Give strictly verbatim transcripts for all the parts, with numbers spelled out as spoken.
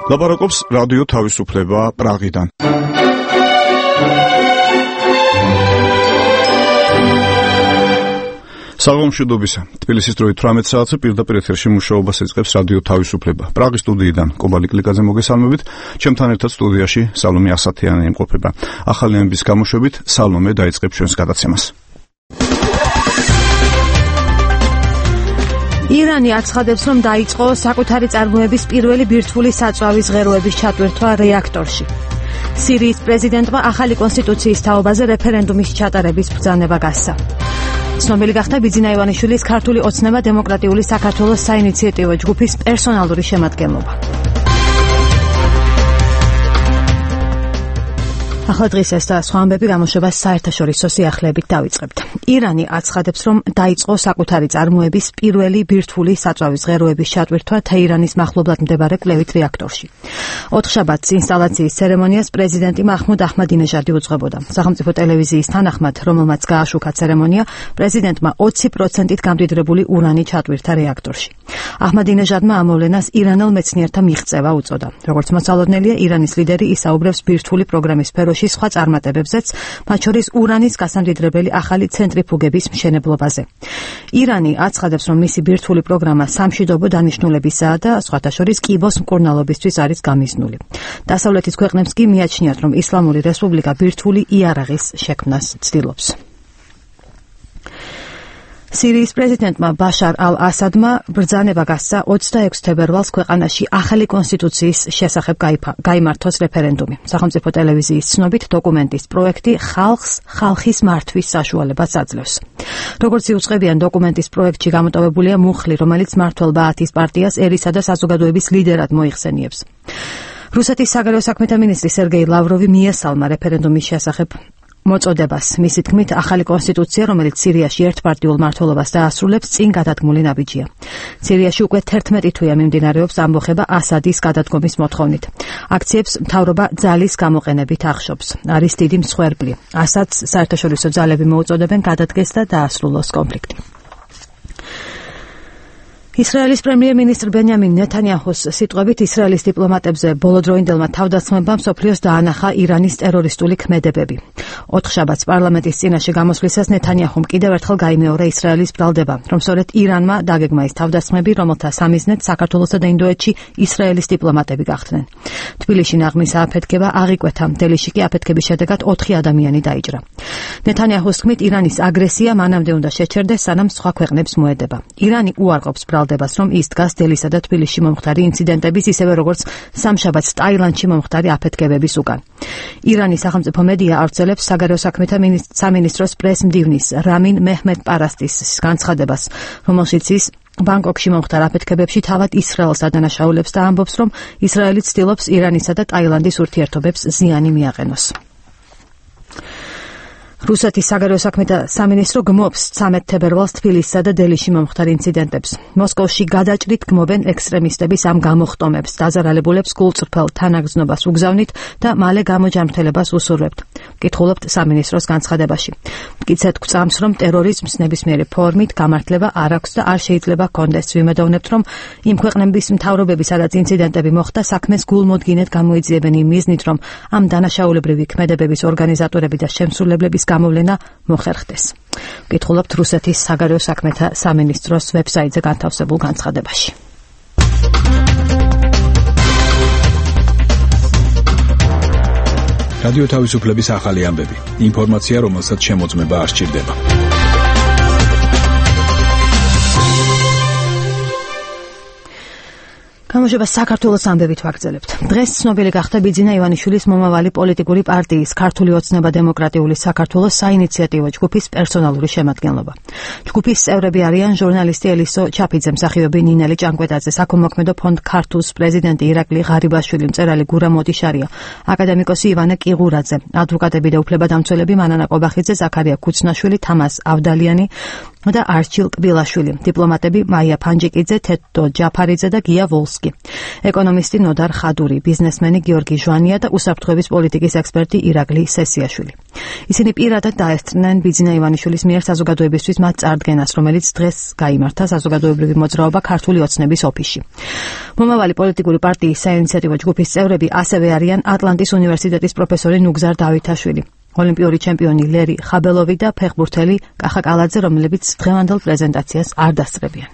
ლაპარაკობს რადიო თავისუფლება პრაღიდან. საღამომშვიდობისა. თბილისის დროით თვრამეტ საათზე პირდაპირ ეთერში მუშაობას ეწყებს რადიო თავისუფლება. პრაღის სტუდიიდან კობალი კლიკაძე მოგესალმებით. ჩემთან ერთად სტუდიაში სალომე ასათიანი იმყოფება. ახალი ამბის გამოშვებით სალომე დაიწყებს ჩვენს გადაცემას. ირანი აცხადებს, რომ დაიწყო საკუთარი წარმოების პირველი ბირთვული საწვავის ღეროების ჩატვირთვა რეაქტორში. სირიის პრეზიდენტმა ახალი კონსტიტუციის თაობაზე რეფერენდუმის ჩატარების ბრძანება გასცა. ცნობილი გახდა ბიძინა ივანიშვილის ქართული ოცნება დემოკრატიული საქართველოს საინიციატივო ჯგუფის პერსონალური შემადგენლობა. ახლა დღის ეს და სხვა ამბები გამოშვებას საერთაშორისო სიახლეებით დავიწყებთ. ირანი აცხადებს, რომ დაიწყო საკუთარი წარმოების პირველი ბირთვული საწვავის ღეროების ჩატვირთვა თეირანის მახლობლად მდებარე კვლევით რეაქტორში. ოთხშაბათს ინსტალაციის ცერემონიას პრეზიდენტი მაჰმუდ აჰმადინეჟადი უძღვებოდა. სახელმწიფო ტელევიზიის თანახმად, რომელმაც გააშუქა ცერემონია, პრეზიდენტმა ოცი პროცენტით გამდიდრებული ურანი ჩატვირთა რეაქტორში. აჰმადინეჟადმა ამოვლენას ირანელ მეცნიერთა მიღწევა უწოდა. როგორც მოსალოდნელია, ირანის ლიდერი ისაუბრებს ბირთვული პროგრამის სფეროში სხვა წარმატებებზეც, მათ შორის ურანის გასამდიდრებელი ახალი ცენტრიფუგების მშენებლობაზე. ირანი აცხადებს, რომ მისი ბირთვული პროგრამა სამშვიდობო დანიშნულებისაა და სხვათა შორის კიბოს მკურნალობისთვის არის გამიზნული. დასავლეთის ქვეყნებს კი მიაჩნიათ, რომ ისლამური რესპუბლიკა ბირთვული იარაღის შექმნას ცდილობს. სირიის პრეზიდენტმა ბაშარ ალ-ასადმა ბრძანება გასცა ოცდაექვსი თებერვალს ქვეყანაში ახალი კონსტიტუციის შესახებ გაიმართოს რეფერენდუმი. სახელმწიფო ტელევიზიის ცნობით, დოკუმენტის პროექტი ხალხს ხალხის მართვის საშუალებას აძლევს. როგორც იუწყებიან, დოკუმენტის პროექტში გამოტოვებულია მუხლი, რომელიც მმართველ ბაათის პარტიას ერისა და საზოგადოების ლიდერად მოიხსენიებს. რუსეთის საგარეო საქმეთა მინისტრი სერგეი ლავროვი მიესალმა რეფერენდუმის შესახებ მოწოდებას. მისი თქმით, ახალი კონსტიტუცია, რომელიც სირიაში ერთპარტიულ მმართველობას დაასრულებს, წინ გადადგმული ნაბიჯია. სირიაში უკვე თერთმეტი თვეა მიმდინარეობს ამბოხება ასადის გადადგომის მოთხოვნით. აქციებს მთავრობა ძალის გამოყენებით ახშობს. არის დიდი მსხვერპლი. ასადს საერთაშორისო ძალები მოუწოდებენ გადადგეს და დაასრულოს კონფლიქტი. ისრაელის პრემიერ-მინისტრ ბენიამინ ნეთანიაჰუს სიტყვებით, ისრაელის დიპლომატებზე ბოლოდროინდელმა თავდასხმებამ მსოფლიოს დაანახა ირანის ტერორისტული ქმედებები. ოთხშაბათს პარლამენტის წინაშე გამოსვლისას ნეთანიაჰუმ კიდევ ერთხელ გაიმეორა ისრაელის ბრალდება, რომ სწორედ ირანმა დაგეგმა ის თავდასხმები, რომელთა სამიზნედ საქართველოსა და ინდოეთში ისრაელის დიპლომატები გახდნენ. თბილისში ნაღმის ააფეთქება აღიკვეთა, დელიში კი აფეთქების შედეგად ოთხი ადამიანი დაიჭრა. ნეთანიაჰუს თქმით, ირანის აგრესია მანამდე უნდა შეჩერდეს, სანამ სხვა ქვეყნებს მოედება. ირანი უარყოფს ბრალდებას, რომ ის დგას დელისა და თბილისში მომხდარი ინციდენტების, ისევე როგორც სამშაბათს ტაილანდში მომხდარი აფეთქებების უკან. ირანის სახელმწიფო მედია ავრცელებს საგარეო საქმეთა სამინისტროს პრეს-მდივნის რამინ მეჰმედ პარასტის განცხადებას, რომელშიც ის ბანგკოკში მომხდარ აფეთქებებში თავად ისრაელს ადანაშაულებს და ამბობს, რომ ისრაელი ცდილობს ირანისა და ტაილანდის ურთიერთობებს ზიანი მიაყენოს. რუსეთის საგარეო საქმეთა სამინისტრო გმობს ცამეტ თებერვალს თბილისსა და დელიში მომხდარ ინციდენტებს. მოსკოვში გადაჭრით გმობენ ექსტრემისტების ამ გამოხტომებს, დაზარალებულებს გულწრფელ თანაგრძნობას უგზავნით და მალე გამოჯანმრთელებას უსურვებთ. კითხულობთ სამინისტროს განცხადებაში. მტკიცედ გვწამს, რომ ტერორიზმს ნებისმიერი ფორმით გამართლება არ აქვს და არ შეიძლება ჰქონდეს. ვიმედოვნებთ, რომ იმ ქვეყნების მთავრობები, სადაც ინციდენტები მოხდა, საქმეს გულმოდგინედ გამოიძიებენ იმ მიზნით, რომ ამ დანაშაულებრივი ქმედებების ორგანიზატორები და შემსრულებლების გამოვლენა მოხერხდეს. კითხულობთ რუსეთის საგარეო საქმეთა სამინისტროს ვებსაიტზე განთავსებულ განცხადებაში. რადიო თავისუფლების ახალი ამბები. ინფორმაცია, რომელსაც შემოწმება არ სჭირდება. გამოშვება საქართველოს ამბებით ვაგრძელებთ. დღეს ცნობილი გახდა ბიძინა ივანიშვილის მომავალი პოლიტიკური პარტიის ქართული ოცნება დემოკრატიული საქართველოს საინიციატივო ჯგუფის პერსონალური შემადგენლობა. ჯგუფის წევრები არიან ჟურნალისტი ელისო ჩაფიძე, მსახიობი ნინელი ჭანკვეტაძე, საქველმოქმედო ფონდ ქართულს პრეზიდენტი ირაკლი ღარიბაშვილი, მწერალი გურამ მოდიშარია, აკადემიკოსი ივანე კიღურაძე, ადვოკატები და უფლებადამცველები მანანა ყობახიძე, ზაქარია ქუცნაშვილი, თამას ავდალიანი, და არჩილ კბილაშვილი, დიპლომატები მაია ფანჯიკიძე, თედო ჯაფარიძე და გია ვოლსკი, ეკონომისტი ნოდარ ხადური, ბიზნესმენი გიორგი ჟვანია და უსაფრთხოების პოლიტიკის ექსპერტი ირაკლი სესიაშვილი. ისინი პირადად დაესწრნენ ბიძინა ივანიშვილის მიერ საზოგადოებისთვის მათ წარდგენას, რომელიც დღეს გაიმართა საზოგადოებრივი მოძრაობა ქართული ოცნების ოფისში. მომავალი პოლიტიკური პარტიის საინიციატივო ჯგუფის წევრები ასევე არიან ატლანტის უნივერსიტეტის პროფესორი ნუგზარ დავითაშვილი, ოლიმპიური ჩემპიონი ლერი ხაბელოვი და ფეხბურთელი კახა კალაძე, რომლებიც დღევანდელ პრეზენტაციას არ დასწრებიან.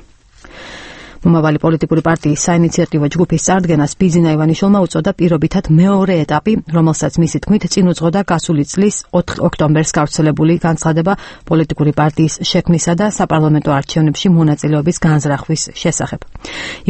მომავალი პოლიტიკური პარტიის საინიციატივო ჯგუფის წარდგენას ბიძინა ივანიშვილმა უწოდა პირობითად მეორე ეტაპი, რომელსაც მისი თქმით წინ უძღოდა გასული წლის ოთხ ოქტომბერს გავრცელებული განცხადება პოლიტიკური პარტიის შექმნისა და საპარლამენტო არჩევნებში მონაწილეობის განზრახვის შესახებ.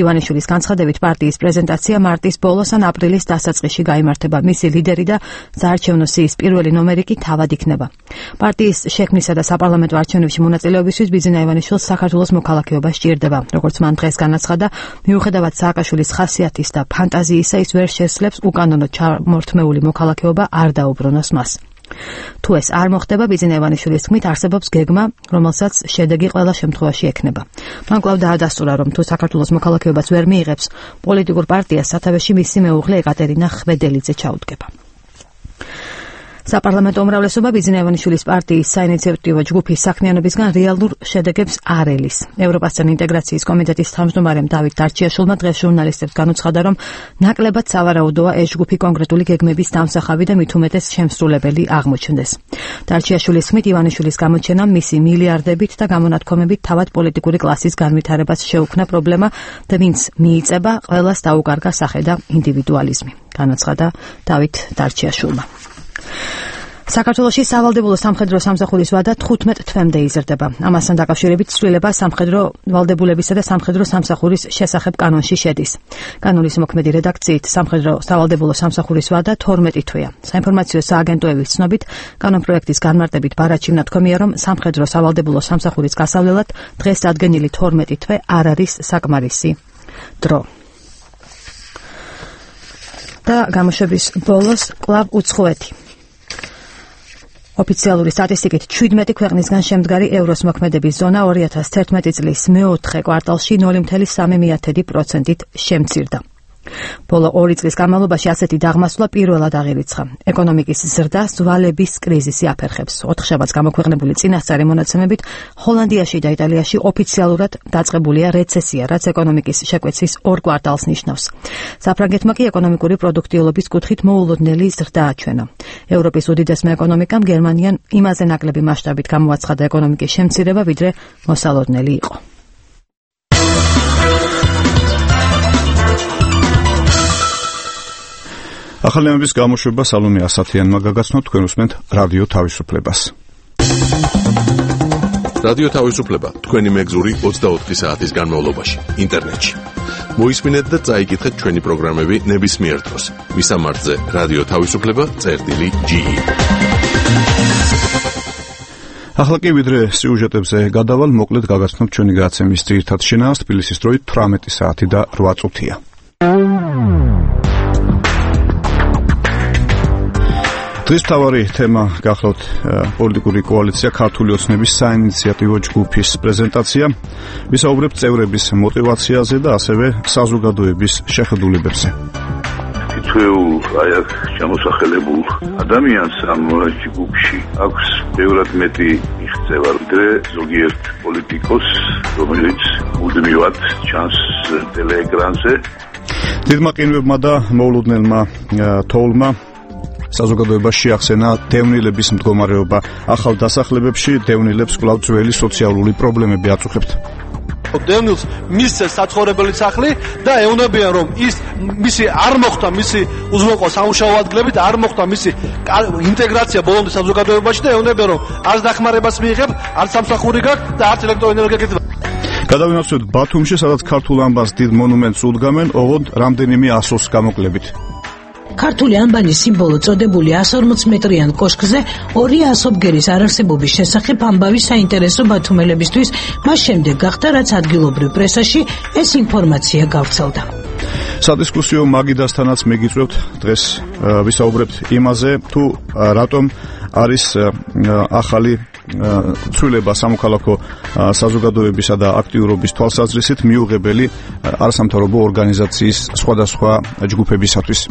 ივანიშვილის განცხადებით პარტიის პრეზენტაცია მარტის ბოლოს ან აპრილის დასაწყისში გაიმართება. მისი ლიდერი და საარჩევნო სიის პირველი ნომერი კი თავად იქნება. პარტიის შექმნისა და საპარლამენტო არჩევნებში მონაწილეობისთვის ბიძინა ივანიშვილს საქართველოს მოქალაქეობა სჭირდება, როგორც მან დღეს განაცხადა, მიუხედავად სააკაშვილის ხასიათის და ფანტაზიისა, ის ვერ შესძლებს უკანონო ჩამორთმეული მოქალაქეობა არ დაუბრუნოს მას. თუ ეს არ მოხდება, ბიძინა ივანიშვილის თქმით არსებობს გეგმა, რომელსაც შედეგი ყველა შემთხვევაში ექნება. მან კვლავ დაადასტურა, რომ თუ საქართველოს მოქალაქეობას ვერ მიიღებს, პოლიტიკურ პარტიას სათავეში მისი მეუღლე ეკატერინა ხვედელიძე ჩაუდგება. საპარლამენტო უმრავლესობა ბიძინა ივანიშვილის პარტიის საინიციატივო ჯგუფის საქმიანობისგან რეალურ შედეგებს არ ელის. ევროპასთან ინტეგრაციის კომიტეტის თავმჯდომარემ დავით დარჩიაშვილმა დღეს ჟურნალისტებს განუცხადა, რომ ნაკლებად სავარაუდოა ეს ჯგუფი კონკრეტული გეგმების დამსახავი და მით უმეტეს შემსრულებელი აღმოჩნდეს. დარჩიაშვილის თქმით, ივანიშვილის გამოჩენამ მისი მილიარდებით და გამონათქვამებით თავად პოლიტიკური კლასის განვითარებას შეუქმნა პრობლემა და ვინც მიიწება, ყველას დაუკარგა სახე და ინდივიდუალიზმი, განაცხადა დავით დარჩიაშვილმა. საქართველოში სავალდებულო სამხედრო სამსახურის ვადა თხუთმეტ თვემდე იზრდება. ამასთან დაკავშირებით ცვლილება სამხედრო ვალდებულებისა და სამხედრო სამსახურის შესახებ კანონში შედის. კანონის მოქმედი რედაქციით სამხედრო სავალდებულო სამსახურის ვადა თორმეტი თვეა. საინფორმაციო სააგენტოების ცნობით, კანონპროექტის განმარტებით ბარათში ნათქვამია, რომ სამხედრო სავალდებულო სამსახურის გასავლელად დღეს დადგენილი თორმეტი თვე არ არის საკმარისი დრო. და გამოშვების ბოლოს კვლავ უცხოეთი. ოფიციალური სტატისტიკით ჩვიდმეტი ქვეყნისგან შემდგარი ევროს მოქმედების ზონა ორი ათას თერთმეტი წლის მეოთხე კვარტალში ნული virgulă trei პროცენტით შემცირდა. ბოლო ორი წლის განმავლობაში ასეთი დაღმასვლა პირველად აღირიცხა. ეკონომიკის ზრდა ზვალების კრიზისი აფერხებს. ოთხშაბათს გამოქვეყნებული წინასწარი მონაცემებით ჰოლანდიაში და იტალიაში ოფიციალურად დაწყებულია რეცესია, რაც ეკონომიკის შეკვეცის ორ კვარტალს ნიშნავს. საფრანგეთმა კი ეკონომიკური პროდუქტიულობის კუთხით მოულოდნელი ზრდა აჩვენა. ევროპის უდიდესმა ეკონომიკამ გერმანიამ იმაზე ნაკლები მასშტაბით გამოაცხადა ეკონომიკის შემცირება, ვიდრე მოსალოდნელი იყო. ახალი ამბის გამოშვება სალომე ასათიანმა გაგაცნო, თქვენ უსმენთ რადიო თავისუფლებას. რადიო თავისუფლება თქვენი მეგზური ოცდაოთხი საათის განმავლობაში ინტერნეტში. მოისმინეთ და წაიკითხეთ ჩვენი პროგრამები ნებისმიერ დროს. მისამართზე რადიო თავისუფლება წერტილი ჯი ი. ახლა კი ვიდრე სიუჟეტებზე გადავალ, მოკლედ გაგაცნობ ჩვენი გადაცემის ძირითად შინაარსს. თბილისის დროით თვრამეტი საათი და რვა წუთია. დღის მთავარი თემა გახლავთ პოლიტიკური კოალიცია ქართული ოცნების საინიციატივო ჯგუფის პრეზენტაცია. ვისაუბრებთ წევრების мотиваციაზე და ასევე საზოგადოების შეხედულებებზე. თითოეულ აი აქ ჩამოსახელებულ ადამიანს ამ ჯგუფში აქვს ბევრად მეტი მიღწევა, ვიდრე ზოგიერთ პოლიტიკოს, რომელიც მუდმივად ჩანს ტელეეკრანზე. დიდმა ყინვებმა და მოულოდნელმა თოვლმა საზოგადოებაში შეახსენა დევნილების მდგომარეობა. ახალ დასახლებებში დევნილებს კვლავ ძველი სოციალური პრობლემები აწუხებთ. დევნილს მისცეს საცხოვრებელი სახლი და ეუბნებიან, რომ ის მისი არ მოხდა მისი უზრუნველყოფა სამუშაო ადგილებით, არ მოხდა მისი ინტეგრაცია ბოლომდე საზოგადოებაში და ეუბნებიან, რომ არც დახმარებას მიიღებ, არც სამსახური გაქვს და არც ელექტროენერგია გეძება. გადავინაცვლოთ ბათუმში, სადაც ქართულ ამბას დიდ მონუმენტს უდგამენ, ოღონდ რამდენიმე ასოს გამოკლებით. ქართული ანბანის სიმბოლო წოდებული εκατს ორმოც მეტრიან კოშკზე ორი ასობგერის არარსებობის შესახებ ამბავი საინტერესო ბათუმელებისთვის, მას შემდეგ გახდა, რაც ადგილობრივ პრესაში ეს ინფორმაცია გავრცელდა. სადისკუსიო მაგიდასთანაც მეგიწევთ დღეს ვისაუბრებთ იმაზე, თუ რატომ არის ახალი ცვლილება სამოქალაქო საზოგადოებისა და აქტიურობის თვალსაზრისით მიუღებელი არასამთავრობო ორგანიზაციის სხვადასხვა ჯგუფებისათვის.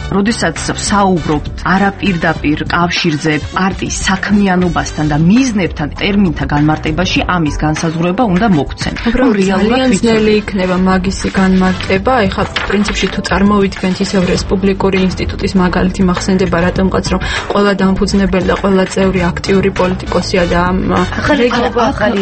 როდესაც საუბრობთ არაპირდაპირ კავშირზე პარტიის საქმიანობასთან და მიზნებთან ტერმინთა განმარტებაში ამის განსაზღვრება უნდა მოგცენ. რეალურად ძნელი იქნება მაგისი განმარტება. ეხლა პრინციპში თუ წარმოვიდგენთ ისევ რესპუბლიკური ინსტიტუტის მაგალითი მახსენდება რატომღაც რომ ყველა დამფუძნებელი და ყველა წევრი აქტიური პოლიტიკოსია და ახალი ახალი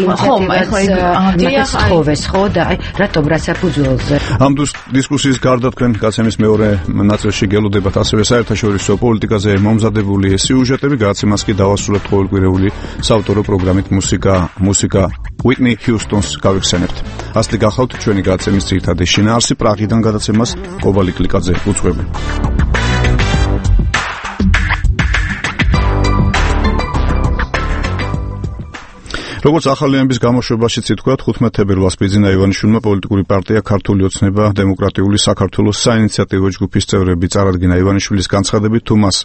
ხო და რატომ რა საფუძველზე ამ დისკუსიის გარდა თქვენ გაცემის მეორე ნაწილში გელოდებათ ასევე საერთაშორისო პოლიტიკაზე მომზადებული სიუჟეტები, გადაცემას კი დავასრულებთ ყოველკვირეული საავტორო პროგრამით მუსიკა მუსიკა Whitney Houston-ს გავიხსენებთ. ასეთი გახლავთ ჩვენი გადაცემის ძირითადი შინაარსი. პრაღიდან გადაცემას კობალი კლიკაძე უძღვები. როგორც ახალი ამბის გამოშვებაშიც ითქვა, თხუთმეტ თებერვალს ბიძინა ივანიშვილმა პოლიტიკური პარტია ქართული ოცნება დემოკრატიული საქართველოს საინიციატივო ჯგუფის წევრები წარადგინა. ივანიშვილის განცხადებით, თუ მას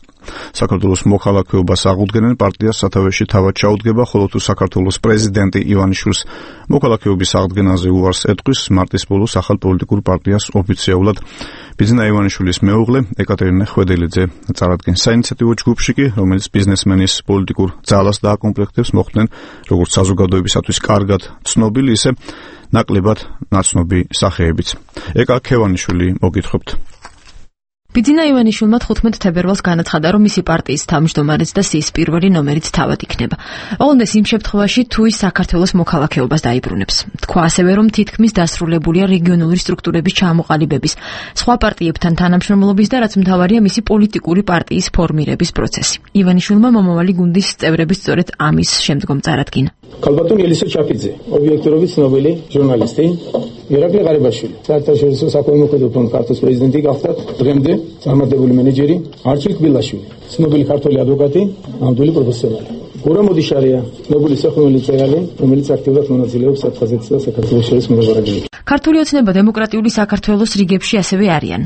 საქართველოს მოქალაქეობას აღუდგენენ, პარტიას სათავეში თავად ჩაუდგება, ხოლო თუ საქართველოს პრეზიდენტი ივანიშვილს მოქალაქეობის აღდგენაზე უარს ეტყვის, მარტის ბოლოს ახალ პოლიტიკურ პარტიას ოფიციალურად ბიძინა ივანიშვილის მეუღლე ეკატერინე ხვედელიძე წარადგენს. საინიციატივო ჯგუფში კი, რომელიც ბიზნესმენის პოლიტიკურ ძალას დააკომპლექტებს, მოხვდნენ როგორც საზოგადოებისათვის კარგად ცნობილი, ისე ნაკლებად ნაცნობი სახეებიც. ეკა ქევანიშვილი მოგითხრობთ. ბიძინა ივანიშვილმა თხუთმეტ თებერვალს განაცხადა, რომ მისი პარტიის თავმჯდომარეც და სიის პირველი ნომერიც თავად იქნება. ოღონდ იმ შემთხვევაში, თუ ის საქართველოს მოქალაქეობას დაიბრუნებს. თქვა ასევე, რომ თითქმის დასრულებულია რეგიონული სტრუქტურების ჩამოყალიბების, სხვა პარტიებთან თანამშრომლობის და რაც მთავარია, მისი პოლიტიკური პარტიის ფორმირების პროცესი. ივანიშვილმა მომავალი გუნდის წევრები სწორედ ამის შემდგომ წარადგინა. ქალბატონი ელისო ჩაფიძე, ობიექტურობის ცნობილი ჟურნალისტი, ირაკლი ღარიბაშვილი, საერთაშორისო საქველმოქმედო ფონდ ქართლის პრეზიდენტი გახდა დღემდე წარმატებული მენეჯერი, არჩილ კბილაშვილი, ცნობილი ქართველი ადვოკატი, ნამდვილი პროფესიონალი. გურამ მოდიშარია, ცნობილი სახელმწიფო მწერალი, რომელიც აქტიურად მონაწილეობს საფრანგეთის და საქართველოს შორის მოლაპარაკებებში. ქართული ოცნება დემოკრატიული საქართველოს რიგებში ასევე არიან.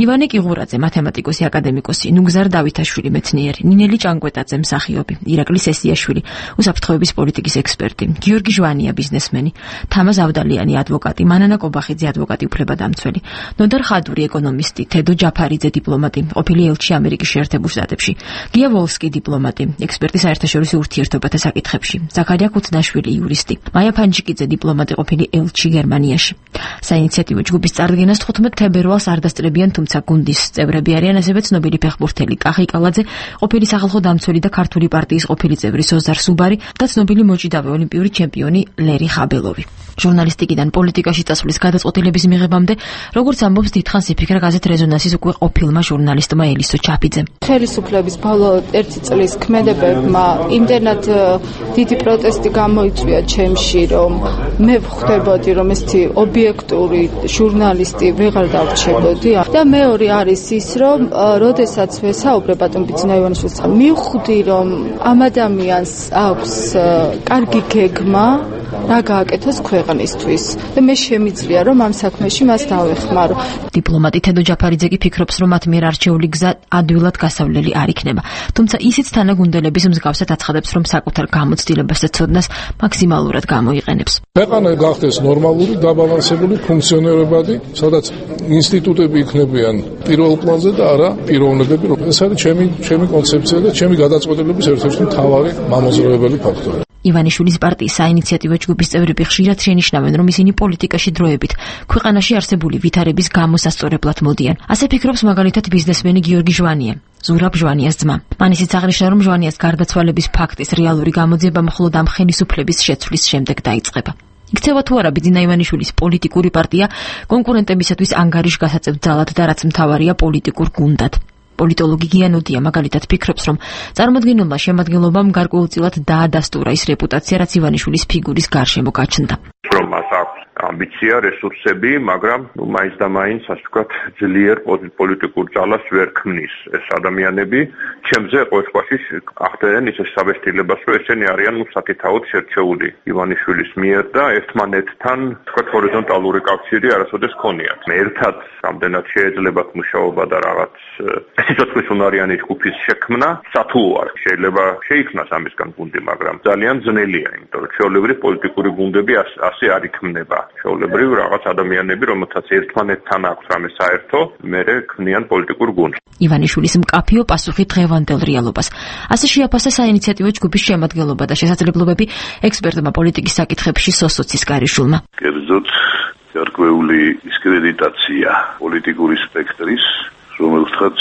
ივანე კიღურაძე, მათემატიკოსი, აკადემიკოსი, ნუგზარ დავითაშვილი, მეცნიერი, ნინელი ჭანკვეტაძე, მსახიობი, ირაკლი სესიაშვილი, უსაფრთხოების პოლიტიკის ექსპერტი, გიორგი ჟვანია, ბიზნესმენი, თამა ზავდალიანი, ადვოკატი, მანანა კობახიძე, ადვოკატი, უფლებადამცველი, ნოდარ ხადური, ეკონომისტი, თედო ჯაფარიძე, დიპლომატი, ყოფილი ელჩი ამერიკის შეერთებულ შტატებში, გია ვოლსკი, დიპლომატი, ექსპერტი საერთაშორისო ურთიერთობათა საკითხებში, ზაქარია ქუთნაშვილი, იურისტი, მაია ფანჯიკიძე, დიპლომატი, ყოფილი ელჩი გერმანიაში. საინიციატივო ჯგუფის წარდგენას თხუთმეტ თებერვალს არ დასწრებიან, თუმცა გუნდის წევრები არიან ასევე ცნობილი ფეხბურთელი კახი კალაძე, ყოფილი სახალხო დამცველი და ქართული პარტიის ყოფილი წევრი სოზარ სუბარი და ცნობილი მოჭიდავე ოლიმპიური ჩემპიონი ლერი ხაბელოვი. ჟურნალისტიკიდან პოლიტიკაში წასვლის გადაწყვეტილების მიღებამდე, როგორც ამბობს დიდხანს იფიქრა გაზეთ რეზონანსის უკვე ყოფილმა ჟურნალისტმა ელისო ჩაფიძემ. ხელისუფლების ბოლო ერთი წლის ქმედებებმა იმდენად დიდი პროტესტი გამოიწვია ჩემში, რომ მე ვხვდებოდი, რომ ესეთი ობიექტური ჟურნალისტი ვეღარ დავრჩებოდი და მეორე არის ის, რომ როდესაც ვესაუბრებ ბატონ ბიძინა ივანიშვილს, მივხვდი, რომ ამ ადამიანს აქვს კარგი გეგმა რა გააკეთოს ქვეყნისთვის და მე შემიძლია რომ ამ საქმეში მას დავეხმარო. დიპლომატი თედო ჯაფარიძე კი ფიქრობს, რომ მათ მიერ არჩეული გზა ადვილად გასავლელი არ იქნება. თუმცა ისიც თანაგუნდელების მსგავსად აცხადებს, რომ საკუთარ გამოცდილებას და ცოდნას მაქსიმალურად გამოიყენებს. ქვეყანა გახდეს ნორმალური, დაბალანსებული, ფუნქციონირებადი, სადაც ინსტიტუტები იქნებიან პირველ პლანზე და არა პიროვნებები. ეს არის ჩემი ჩემი კონცეფცია და ჩემი გადაწყვეტილების ერთ-ერთი მთავარი მამოძრავებელი ფაქტორი. ივანიშვილის პარტიის საინიციატივო ჯგუფის წევრები ხშირად შენიშნავენ, რომ ისინი პოლიტიკაში დროებით ქვეყანაში არსებული ვითარების გამოსასწორებლად მოდიან. ასე ფიქრობს მაგალითად ბიზნესმენი გიორგი ჟვანია, ზურაბ ჟვანიას ძმა. მან ისიც აღნიშნა, რომ ჟვანიას გარდაცვალების ფაქტის რეალური გამოძიება მხოლოდ ამ ხელისუფლების შეცვლის შემდეგ დაიწყება. იქცევა თუ არა ბიძინა ივანიშვილის პოლიტიკური პარტია კონკურენტებისათვის ანგარიშ გასაწევ ძალად და რაც მთავარია პოლიტიკურ გუნდად. პოლიტოლოგი გიანოდია მაგალითად ფიქრობს, რომ წარმოადგენლმა შემადგენლობამ გარკვეულწილად დაადასტურა ის რეპუტაცია, რაც ივანიშვილის ფიგურის გარშემო გაჩნდა. რომ მას აქვს ამბიცია, რესურსები, მაგრამ ნუ მაინც და მაინც ასე ვთქვათ, ძლიერ პოლიტიკურ ძალას ვერ ქმნის ეს ადამიანები. ჩემზე ყოველთვის ახდენენ ის საბესტილებას, რომ ესენი არიან ნუ საკითხაოდ შერჩეული ივანიშვილის მიერ და ერთმანეთთან ვთქვათ ჰორიზონტალური კავშირი არასოდეს ქონიათ. ერთად რამდენად შეიძლებათ მუშაობა და რაღაც სიცოცხლის უნარიანი ჯგუფის შექმნა სათუო არ შეიძლება შეიქმნას ამისგან გუნდი, მაგრამ ძალიან ძნელია, იმიტომ რომ ჩვეულებრივ პოლიტიკური გუნდები ასე არ იქმნება. ჩვეულებრივ რაღაც ადამიანები, რომელთაც ერთმანეთთან აქვს რამე საერთო, მერე ქმნიან პოლიტიკურ გუნდს. ივანიშვილის მკაფიო პასუხი დღევანდელ რეალობას. ასე შეაფასა საინიციატივო ჯგუფის შემადგენლობა და შესაძლებლობები ექსპერტმა პოლიტიკის საკითხებში სოსოცის კარიშვილმა. კერძოდ გარკვეული დისკრედიტაცია პოლიტიკური სპექტრის, რომელთაც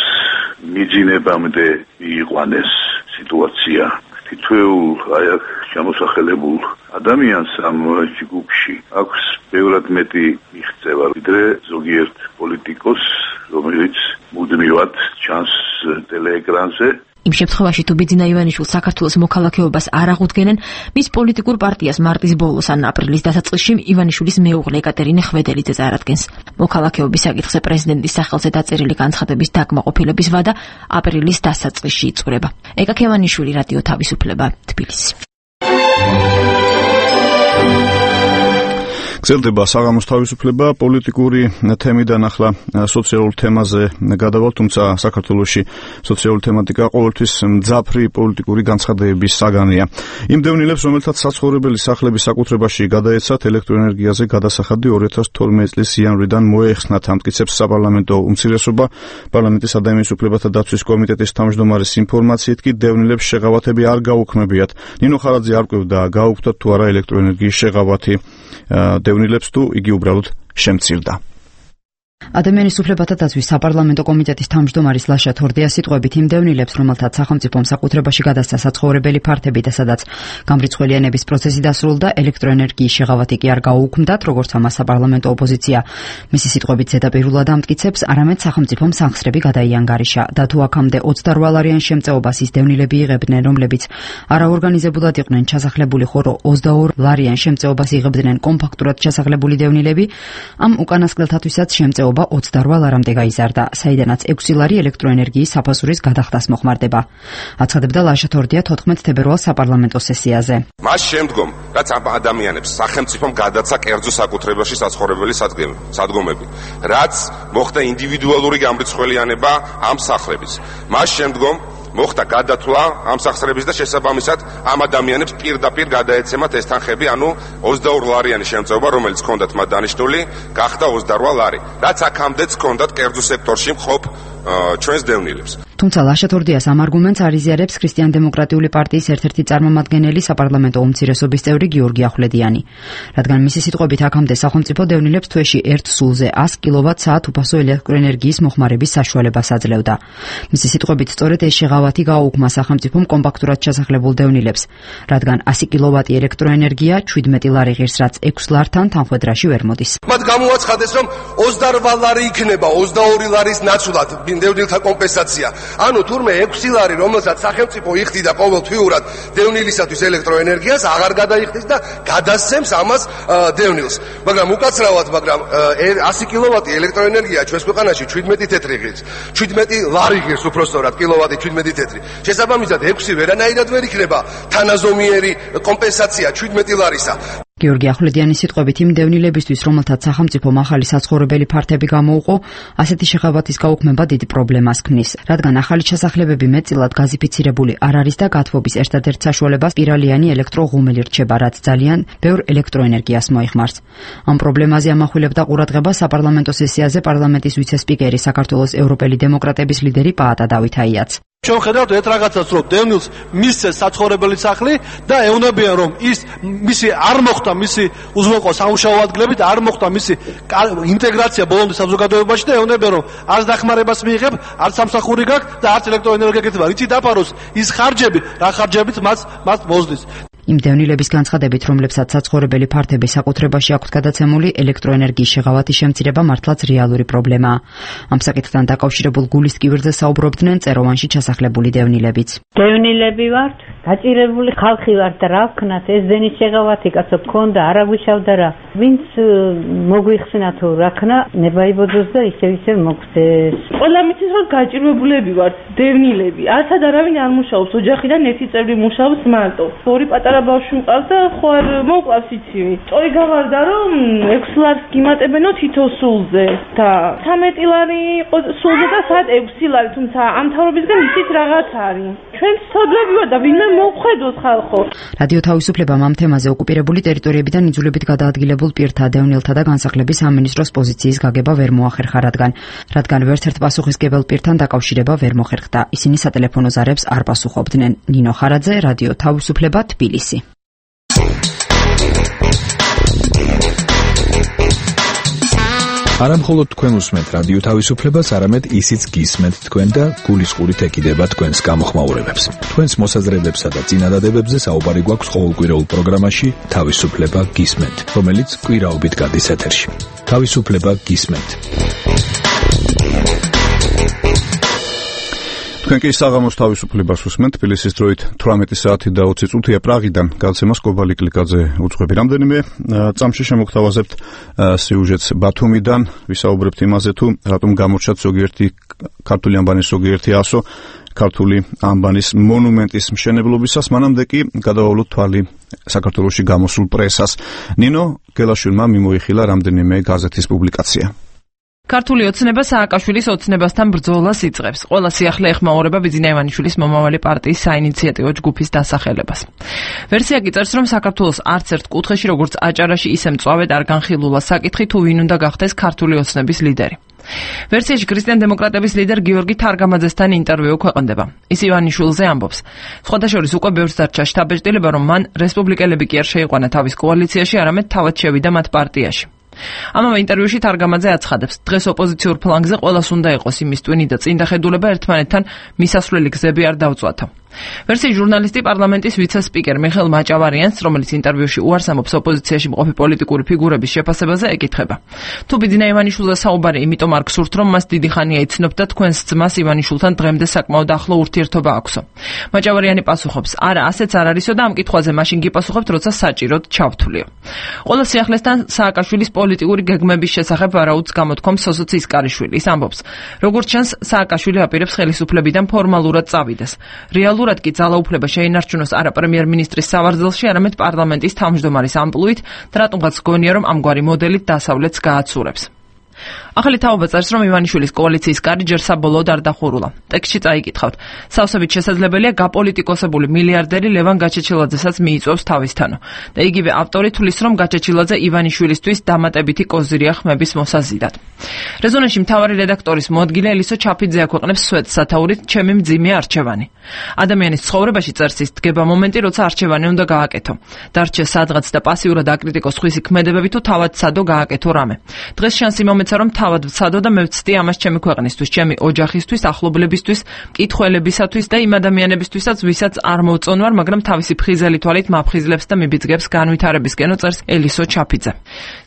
მიძინებამდე მიიყვანეს სიტუაცია. თითოეულ აი აქ ჩამოსახელებულ ადამიანს ამ ჯგუფში აქვს ბევრად მეტი მიღწევა, ვიდრე ზოგიერთ პოლიტიკოსს, რომელიც მუდმივად ჩანს ტელეეკრანზე. იმ შემთხვევაში თუ ბიძინა ივანიშვილს საქართველოს მოქალაქეობას არ აღუდგენენ, მის პოლიტიკურ პარტიას მარტის ბოლოს ან აპრილის დასაწყისში ივანიშვილის მეუღლე ეკატერინე ხვედელიძე წარადგენს. მოქალაქეობის საკითხზე პრეზიდენტის სახელზე დაწერილი განცხადების დაკმაყოფილების ვადა აპრილის დასაწყისში იწურება. ეკა ქევანიშვილი, რადიო თავისუფლება, თბილისი. გრძელდება საღამოს თავისუფლება, პოლიტიკური თემიდან ახლა სოციალურ თემაზე გადავალ, თუმცა საქართველოში სოციალური თემატიკა ყოველთვის მძაფრი პოლიტიკური განცხადებების საგანია. იმ დევნილებს, რომელთაც საცხოვრებელი სახლების საკუთრებაში გადაეცათ ელექტროენერგიაზე გადასახადი ორი ათას თორმეტი წლის იანვრიდან მოეხსნათ, ამტკიცებს საპარლამენტო უმცირესობა. პარლამენტის ადამიანის უფლებათა დაცვის კომიტეტის თავმჯდომარის ინფორმაციით კი დევნილებს შეღავათები არ გაუქმებიათ. ნინო ხარაძე არ კვირდა გაუქმდათ თუ არა ელექტროენერგიის შეღავათი. დევნილებს თუ იგი უბრალოდ შემცირდა. ადამიანის უფლებათა დაცვის საპარლამენტო კომიტეტის თავმჯდომარის ლაშა თორდიას სიტყვებით იმ დევნილებს, რომელთაც სახელმწიფომ საკუთრებაში გადასცა საცხოვრებელი ფართები და სადაც გამრიცხველიანების პროცესი დასრულდა, ელექტროენერგიის შეღავათი კი არ გაუქმდათ, როგორც ამას საპარლამენტო ოპოზიცია მისი სიტყვებით ზედაპირულად ამტკიცებს, არამედ სახელმწიფომ სახსრები გადაიანგარიშა და თუ აქამდე ოცდარვა ლარიან შემწეობას ის დევნილები იღებდნენ, რომლებიც არაორგანიზებულად იყვნენ ჩასახლებული, ხოლო ოცდაორ ლარიან შემწეობას იღებდნენ კომპაქტურად ჩასახლებული დევნილები, ამ უკანასკნელთათვისაც შემწეობა ოცდარვა ლარამდე გაიზარდა, საიდანაც ექვსი ლარი ელექტროენერგიის საფასურის გადახდას მოხმარდება. აცხადებდა ლაშა თორდია თოთხმეტ თებერვალს საპარლამენტო სესიაზე. მას შემდგომ, რაც ამ ადამიანებს სახელმწიფომ გადაცა კერძო საკუთრებაში საცხოვრებელი სადგომები, რაც მოხდა ინდივიდუალური გამრიცხველიანება ამ სახლების. მას შემდგომ მოხდა გადათვლა ამ სახსრების და შესაბამისად ამ ადამიანებს პირდაპირ გადაეცემათ ეს თანხები, ანუ ოცდაორ ლარიანი შემწეობა, რომელიც ჰქონდათ მათ დანიშნული, გახდა ოცდარვა ლარი. რაც აქამდეც ჰქონდათ კერძო სექტორში მყოფ ჩვენს დევნილებს. თუმცა ლაშა თორდიას ამ არგუმენტს არ იზიარებს ქრისტიან-დემოკრატიული პარტიის ერთ-ერთი წარმომადგენელი საპარლამენტო უმცირესობის წევრი გიორგი ახვლედიანი. რადგან მისი სიტყვებით აქამდე სახელმწიფო დევნილებს თვეში ერთ სულზე ას კილოვატ-საათ უფასო ელექტროენერგიის მოხმარების საშუალებას აძლევდა. მისი სიტყვებით სწორედ ეს შეღავათი გააუქმა სახელმწიფომ კომპაქტურად ჩასახლებულ დევნილებს, რადგან ასი კილოვატი ელექტროენერგია ჩვიდმეტი ლარი ღირს, რაც ექვს ლართან თანხვედრაში ვერ მოდის. მათ გამოაცხადეს, რომ ოცდარვა ლარი იქნება ოცდაორი ლარის ნაცვლად დევნილთა კომპენსაცია. ანუ თურმე ექვსი ლარი, რომელსაც სახელმწიფო იხდიდა ყოველთვიურად დევნილისათვის ელექტროენერგიას, აღარ გადაიხდის და გადასცემს ამას დევნილს. მაგრამ უკაცრავად, მაგრამ ასი კილოვატი ელექტროენერგია ჩვენს ქვეყანაში ჩვიდმეტი თეთრი ღირს, ჩვიდმეტი ლარი ღირს უпростоრად კილოვატი ჩვიდმეტი თეთრი. შესაბამისად ექვსი ვერანაირად ვერ იქნება თანაზომიერი კომპენსაცია ჩვიდმეტი ლარისა. გიორგი ახვლედიანის სიტყვებით იმ დევნილებისთვის, რომელთაც სახელმწიფომ ახალი საცხოვრებელი ფართები გამოუყო, ასეთი შეღავათის გაუქმება დიდ პრობლემას ქმნის, რადგან ახალი ჩასახლებები მეტწილად გაზიფიცირებული არ არის და გათბობის ერთადერთ საშუალებას სპირალიანი ელექტროღუმელი რჩება, რაც ძალიან ბევრ ელექტროენერგიას მოიხმარს. ამ პრობლემაზე ამახვილებდა ყურადღება საპარლამენტო სესიაზე პარლამენტის ვიცე-სპიკერი, საქართველოს ევროპელი დემოკრატების ლიდერი პაატა დავითაიაც. ჩვენ ხედავთ ერთ რაღაცას, რომ დევნილს მისცეს საცხოვრებელი სახლი და ეუნებიან, რომ ის მისი არ მოხდა მისი უზრუნველყო სამუშაო ადგილებით, არ მოხდა მისი ინტეგრაცია ბოლომდე საზოგადოებაში და ეუნებიან, რომ არც დახმარებას მიიღებ, არც სამსახური გაქვს და არც ელექტროენერგია გექნება. რითი დაფაროს ის ხარჯები, რა ხარჯებით მას მას მოსდის. იმ დევნილების განცხადებით, რომლებსაც საცხოვრებელი ფართები საკუთრებაში აქვთ გადაცემული, ელექტროენერგიის შეღავათის შემცირება მართლაც რეალური პრობლემაა. ამ საკითხთან დაკავშირებულ გულის კიბერზე საუბრობდნენ წეროვანში ჩასახლებული დევნილებიც. დევნილები ვართ, გაჭირებული ხალხი ვართ და რა ვქნათ, ეს დენის შეღავათი კაცო გქონდა, არა გუშავდა რა. ვინც მოგვიხსნა თუ რა ქნა, ნებაიბოძოს და ისევ ისევ მოგვწეს. ყველა მიცის რომ გაჭირებულები ვართ, დევნილები. არცად არავინ არ მუშაობს, ოჯახიდან ერთი წევრი მუშაობს მარტო. ორი პატარა ბავშვი მყავს და ხო არ მოკლავს იცივი. წოი გავარდა რომ ექვსი ლარს გიმატებენო თითო სულზე და ცამეტი ლარი იყო სულზე და საათ ექვსი ლარი, თუმცა ამ თავრობისგან ისიც რაღაც არის. ჩვენ ცოდლები ვარ და ვინმე მოვხედოთ ხალხო. რადიო თავისუფლებამ ამ თემაზე ოკუპირებული ტერიტორიებიდან იძულებით გადაადგილებულ პირთა, დევნილთა და განსახლების სამინისტროს პოზიციის გაგება ვერ მოახერხა, რადგან რადგან ვერცერთ პასუხისმგებელ პირთან დაკავშირება ვერ მოხერხდა. ისინი სატელეფონო ზარებს არ პასუხობდნენ. ნინო ხარაძე, რადიო თავისუფლება, თბილისი. არა მხოლოდ თქვენ უსმენთ რადიო თავისუფლებას, არამედ ისიც გისმენთ თქვენ და გულისყურით ეკიდება თქვენს გამოხმაურებებს. თქვენს მოსაზრებებსა და წინადადებებზე საუბარი გვაქვს ყოველკვირეულ პროგრამაში თავისუფლება გისმენთ, რომელიც კვირაობით გადის ეთერში. თავისუფლება გისმენთ. თქვენ კი საღამოს თავისუფლებას უსმენთ. თბილისის დროით თვრამეტი საათი და ოცი წუთია. პრაღიდან გალცემას კობალი კლიკაძე უძღვები. რამდენიმე წამში შემოგთავაზებთ სიუჟეტს ბათუმიდან. ვისაუბრებთ იმაზე, თუ რატომ გამორჩათ ზოგიერთი ქართული ანბანის ზოგიერთი ასო ქართული ანბანის მონუმენტის მშენებლობისას. მანამდე კი გადავავლოთ თვალი საქართველოში გამოსულ პრესას. ნინო გელაშვილმა მიმოიხილა რამდენიმე გაზეთის პუბლიკაცია. ქართული ოცნება სააკაშვილის ოცნებასთან ბრძოლას იწყებს. ყველა სიახლე ეხმაურება ბიძინა ივანიშვილის მომავალი პარტიის საინიციატივო ჯგუფის დასახელებას. ვერსია კი წერს, რომ საქართველოს არც ერთ კუთხეში, როგორც აჭარაში, ისე მწვავედ არ განხილულა საკითხი, თუ ვინ უნდა გახდეს ქართული ოცნების ლიდერი. ვერსიაში ქრისტიან-დემოკრატების ლიდერ გიორგი თარგამაძესთან ინტერვიუ ქვეყნდება. ის ივანიშვილზე ამბობს. სხვადასხვა უკვე ბევრს დარჩა შთაბეჭდილება, რომ მან რესპუბლიკელები კი არ შეიყვანა თავის კოალიციაში, არამედ თავად შევიდა მათ პარტიაში. ამავე ინტერვიუში თარგამაძე აცხადებს, დღეს ოპოზიციურ ფლანგზე ყველას უნდა იყოს იმის ტვინი და წინდახედულება ერთმანეთთან მისასვლელი გზები არ დავწვათო. ვერსიის ჟურნალისტი პარლამენტის ვიცე-სპიკერ მიხეილ მაჭავარიანს, რომელიც ინტერვიუში უარს ამბობს ოპოზიციაში მყოფი პოლიტიკური ფიგურების შეფასებაზე, ეკითხება. თუ ბიძინა ივანიშვილზე საუბარი იმიტომ არ გსურთ, რომ მას დიდი ხანია იცნობთ და თქვენს ძმას ივანიშვილთან დღემდე საკმაოდ ახლო ურთიერთობა აქვსო. მაჭავარიანი პასუხობს, არა, ასეც არ არისო და ამ კითხვაზე მაშინ გიპასუხებთ, როცა საჭიროდ ჩავთვლიო. ყველა სიახლესთან სააკაშვილის პოლიტიკური გეგმების შესახებ ვარაუდს გამოთქვამს სოსოც ისკარიშვილი. ის ამბობს, როგორც ჩანს, სააკაშვილი აპირებს ხელისუფლებიდან ფორმალურად წავიდეს. რეალურად კი ძალაუფლება შეინარჩუნოს არა პრემიერ-მინისტრის სავარძელში, არამედ პარლამენტის თავმჯდომარის ამპლუით და რატომღაც გონია, რომ ამგვარი მოდელით დასავლეთს გააცურებს. ახალი თაობა წერს, რომ ივანიშვილის კოალიციის კარი ჯერ საბოლოოდ არ დახურულა. ტექსტში წაიკითხავთ. სავსებით შესაძლებელია გაპოლიტიკოსებული მილიარდერი ლევან გაჩეჩილაძესაც მიიწვევს თავისთანო. და იგივე ავტორი თვლის, რომ გაჩეჩილაძე ივანიშვილისთვის დამატებითი კოზირია ხმების მოსაზიდად. რეზონანსში მთავარი რედაქტორის მოადგილე ელისო ჩაფიძე აქვეყნებს სვეტ სათაურით ჩემი მძიმე არჩევანი. ადამიანის ცხოვრებაში წერს ის დგება მომენტი, როცა არჩევანი უნდა გააკეთო. დარჩე სადღაც და პასიურად აკრიტიკოს ხვისი ქმედებები თუ თავად სადო გააკეთო რამე. დღეს შანსი მომეცა, რომ თავად ვცადო და მევცდი ამას ჩემი ქვეყნისთვის, ჩემი ოჯახისთვის, ახლობლებისთვის, მკითხველებისათვის და იმ ადამიანებისთვისაც, ვისაც არ მოვწონვარ, მაგრამ თავისი ფხიზელი თვალით მაფხიზლებს და მიბიძგებს განვითარებისკენო წერს ელისო ჩაფიძე.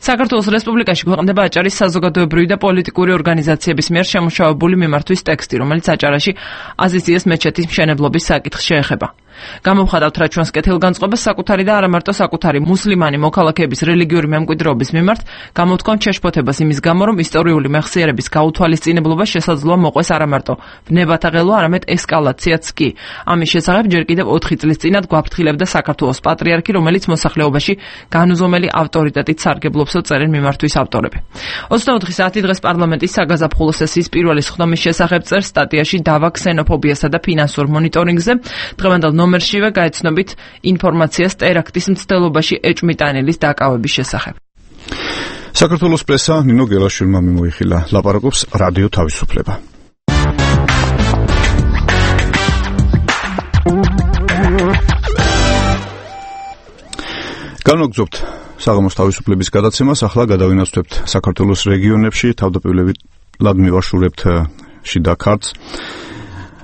საქართველოს რესპუბლიკაში ქვეყნდება აჭარის საზოგადოებრივი და პოლიტიკური ორგანიზაციების მიერ შემუშავებული მიმართვის ტექსტი, რომელიც აჭარაში აზიზიეს მეჩეთის მშენებლობის საკითხს შეეხება. გამოვხატავთ რა ჩვენს კეთილგანწყობას საკუთარი და არა მარტო საკუთარი მუსლიმანი მოქალაქეების რელიგიური მემკვიდრეობის მიმართ გამოთქვამთ შეშფოთებას იმის გამო, რომ ისტორიული მეხსიერების გაუთვალისწინებლობა შესაძლოა მოყვეს არა მარტო ვნებათა ღელვა, არამედ ესკალაციაც კი. ამის შესახებ ჯერ კიდევ ოთხი წლის წინათ გვაფრთხილებდა საქართველოს პატრიარქი, რომელიც მოსახლეობაში განუზომელი ავტორიტეტით სარგებლობსო, წერენ მიმართვის ავტორები. ოცდაოთხი საათი დღეს პარლამენტის საგაზაფხულო სესიის პირველი სხდომის შესახებ წერს სტატიაში დავა ქსენოფობიასა და ფინანსურ მონიტორინგზე. დღევანდელ ნომერშივე გაეცნობით ინფორმაციას ტერაქტის მცდელობაში ეჭმიტანილის დაკავების შესახებ. საქართველოს პრესა ნინო გელაშვილმა მიმოიხილა. ლაპარაკობს რადიო თავისუფლება. განვაგრძობთ საღამოს თავისუფლების გადაცემას. ახლა გადავინაცვლებთ საქართველოს რეგიონებში, თავდაპირველად მივაშურებთ შიდა ქართლს.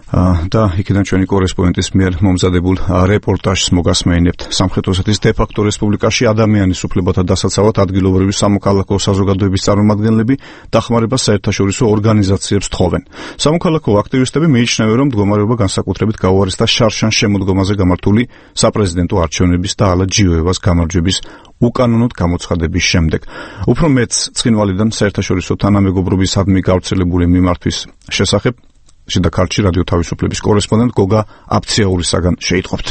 და იქიდან ჩვენი კორესპონდენტის მიერ მომზადებულ რეპორტაჟს მოგასმენებთ. სამხრეთ ოსეთის დე-ფაქტო რესპუბლიკაში ადამიანის უფლებათა დასაცავად ადგილობრივი სამოქალაქო საზოგადოების წარმომადგენლები დახმარებას საერთაშორისო ორგანიზაციებს თხოვენ. სამოქალაქო აქტივისტები მიიჩნევენ, რომ მდგომარეობა განსაკუთრებით გაუარესდა შარშან შემოდგომაზე გამართული საპრეზიდენტო არჩევნების და ალა ჯიოევას გამარჯვების უკანონოდ გამოცხადების შემდეგ. უფრო მეც ცხინვალიდან საერთაშორისო თანამეგობრობისადმი გავრცელებული მიმართვის შესახებ შიდა ქართლში რადიო თავისუფლების კორესპონდენტ გოგა აფციაურისაგან შეიტყობთ.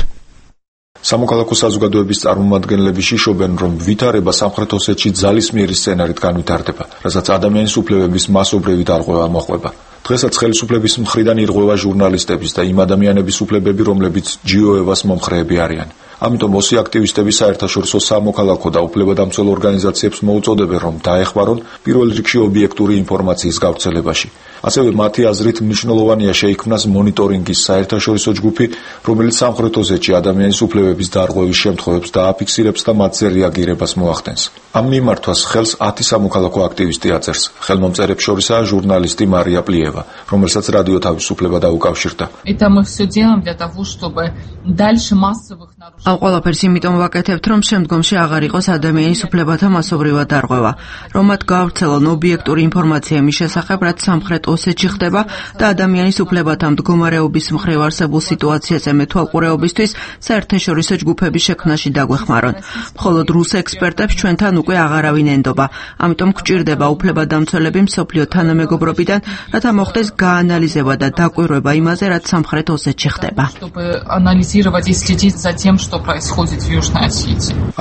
სამოქალაქო საზოგადოების წარმომადგენლები შიშობენ, რომ ვითარება სამხრეთ ოსეთში ძალისმიერი სცენარით განვითარდება, რასაც ადამიანის უფლებების მასობრივი დარღვევა მოჰყვება. დღესაც ხელისუფლების მხრიდან ირღვევა ჟურნალისტების და იმ ადამიანების უფლებები, რომლებიც ჯიოევას მომხრეები არიან. ამიტომ ოსი აქტივისტები საერთაშორისო სამოქალაქო და უფლებადამცველ ორგანიზაციებს მოუწოდებენ, რომ დაეხმარონ პირველ რიგში ობიექტური ინფორმაციის გავრცელებაში. ასევე მათი აზრით მნიშვნელოვანია შეიქმნას მონიტორინგის საერთაშორისო ჯგუფი, რომელიც სამხრეთ ოსეთში ადამიანის უფლებების დარღვევის შემთხვევებს დააფიქსირებს და მათზე რეაგირებას მოახდენს. ამ მიმართვას ხელს ათი სამოქალაქო აქტივისტი აწერს. ხელმომწერებს შორისაა ჟურნალისტი მარია პლიევა, რომელსაც რადიო თავისუფლება დაუკავშირდა. ამ ყველაფერს იმიტომ ვაკეთებთ, რომ შემდგომში აღარ იყოს ადამიანის უფლებათა მასობრივად დარღვევა, რომ მათ გაავრცელონ ობიექტური ინფორმაცია მის შესახებ, რაც სამხრეთ ოსეთში ხდება და ადამიანის უფლებათა მდგომარეობის მხრივ არსებულ სიტუაციაზე მეთვალყურეობისთვის საერთაშორისო ჯგუფების შექმნაში დაგვეხმარონ. მხოლოდ რუს ექსპერტებს ჩვენთან უკვე აღარავინ ენდობა, ამიტომ გვჭირდება უფლებადამცველები მსოფლიო თანამეგობრობიდან, რათა მოხდეს გაანალიზება და დაკვირვება იმაზე, რაც სამხრეთ ოსეთში ხდება.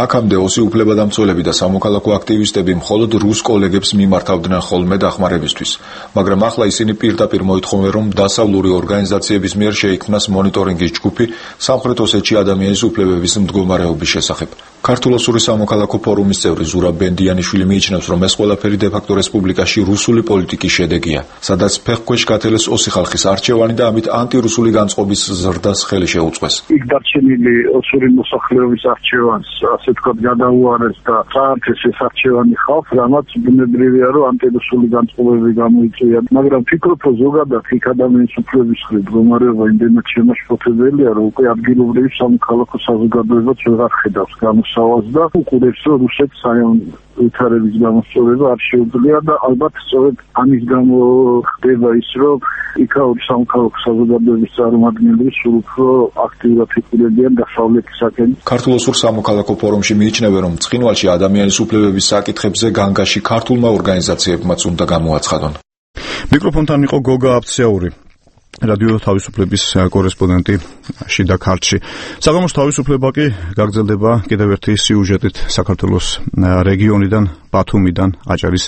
აქამდე ოსი უფლებადამცველები და სამოქალაქო აქტივისტები მხოლოდ რუს კოლეგებს მიმართავდნენ ხოლმე დახმარებისთვის, მაგრამ ახლა ისინი პირდაპირ მოითხოვენ, რომ დასავლური ორგანიზაციების მიერ შეიქმნას მონიტორინგის ჯგუფი სამხრეთ ოსეთში ადამიანის უფლებების მდგომარეობის შესახებ. ქართულ-ოსური სამოქალაქო ფორუმის წევრი ზურაბ ბენდიანიშვილი მიიჩნევს, რომ ეს ყველაფერი დე-ფაქტო რესპუბლიკაში რუსული პოლიტიკის შედეგია, სადაც ფეხქვეშ გათელეს ოსი ხალხის არჩევანი და ამით ანტირუსული განწყობის ზრდას ხელი შეუწყეს. იქ დარჩენილი ოსური მოსახლეობის არჩევანს ასე ვთქვათ გადაუარეს და წაართეს ეს არჩევანი ხალხს, რამაც ბუნებრივია, რომ ანტირუსული განწყობები გამოიწვია. მაგრამ ფიქრობ, რომ ზოგადად იქ ადამიანის უფლებების მხრივ მდგომარეობა იმდენად შემაშფოთებელია, რომ უკვე ადგილობრივი სამოქალაქო საზოგადოებაც ვეღარ ხედავს გამოსავალს და უყურებს, რომ რუსეთს ვითარების გამოსწორება არ შეუძლია და ალბათ სწორედ ამის გამო ხდება ის, რომ იქაური სამოქალაქო საზოგადოების წარმომადგენლები სულ უფრო აქტიურად იყურებიან დასავლეთისაკენ. ქართულ-ოსურ სამოქალაქო ფორუმში მიიჩნევენ, რომ ცხინვალში ადამიანის უფლებების საკითხებზე განგაში ქართულმა ორგანიზაციებმაც უნდა გამოაცხადონ. მიკროფონთან იყო გოგა აფციაური, რადიო თავისუფლების კორესპონდენტი შიდა ქართლში. საღამოს თავისუფლება კი გაგრძელდება კიდევ ერთი სიუჟეტით საქართველოს რეგიონიდან, ბათუმიდან, აჭარის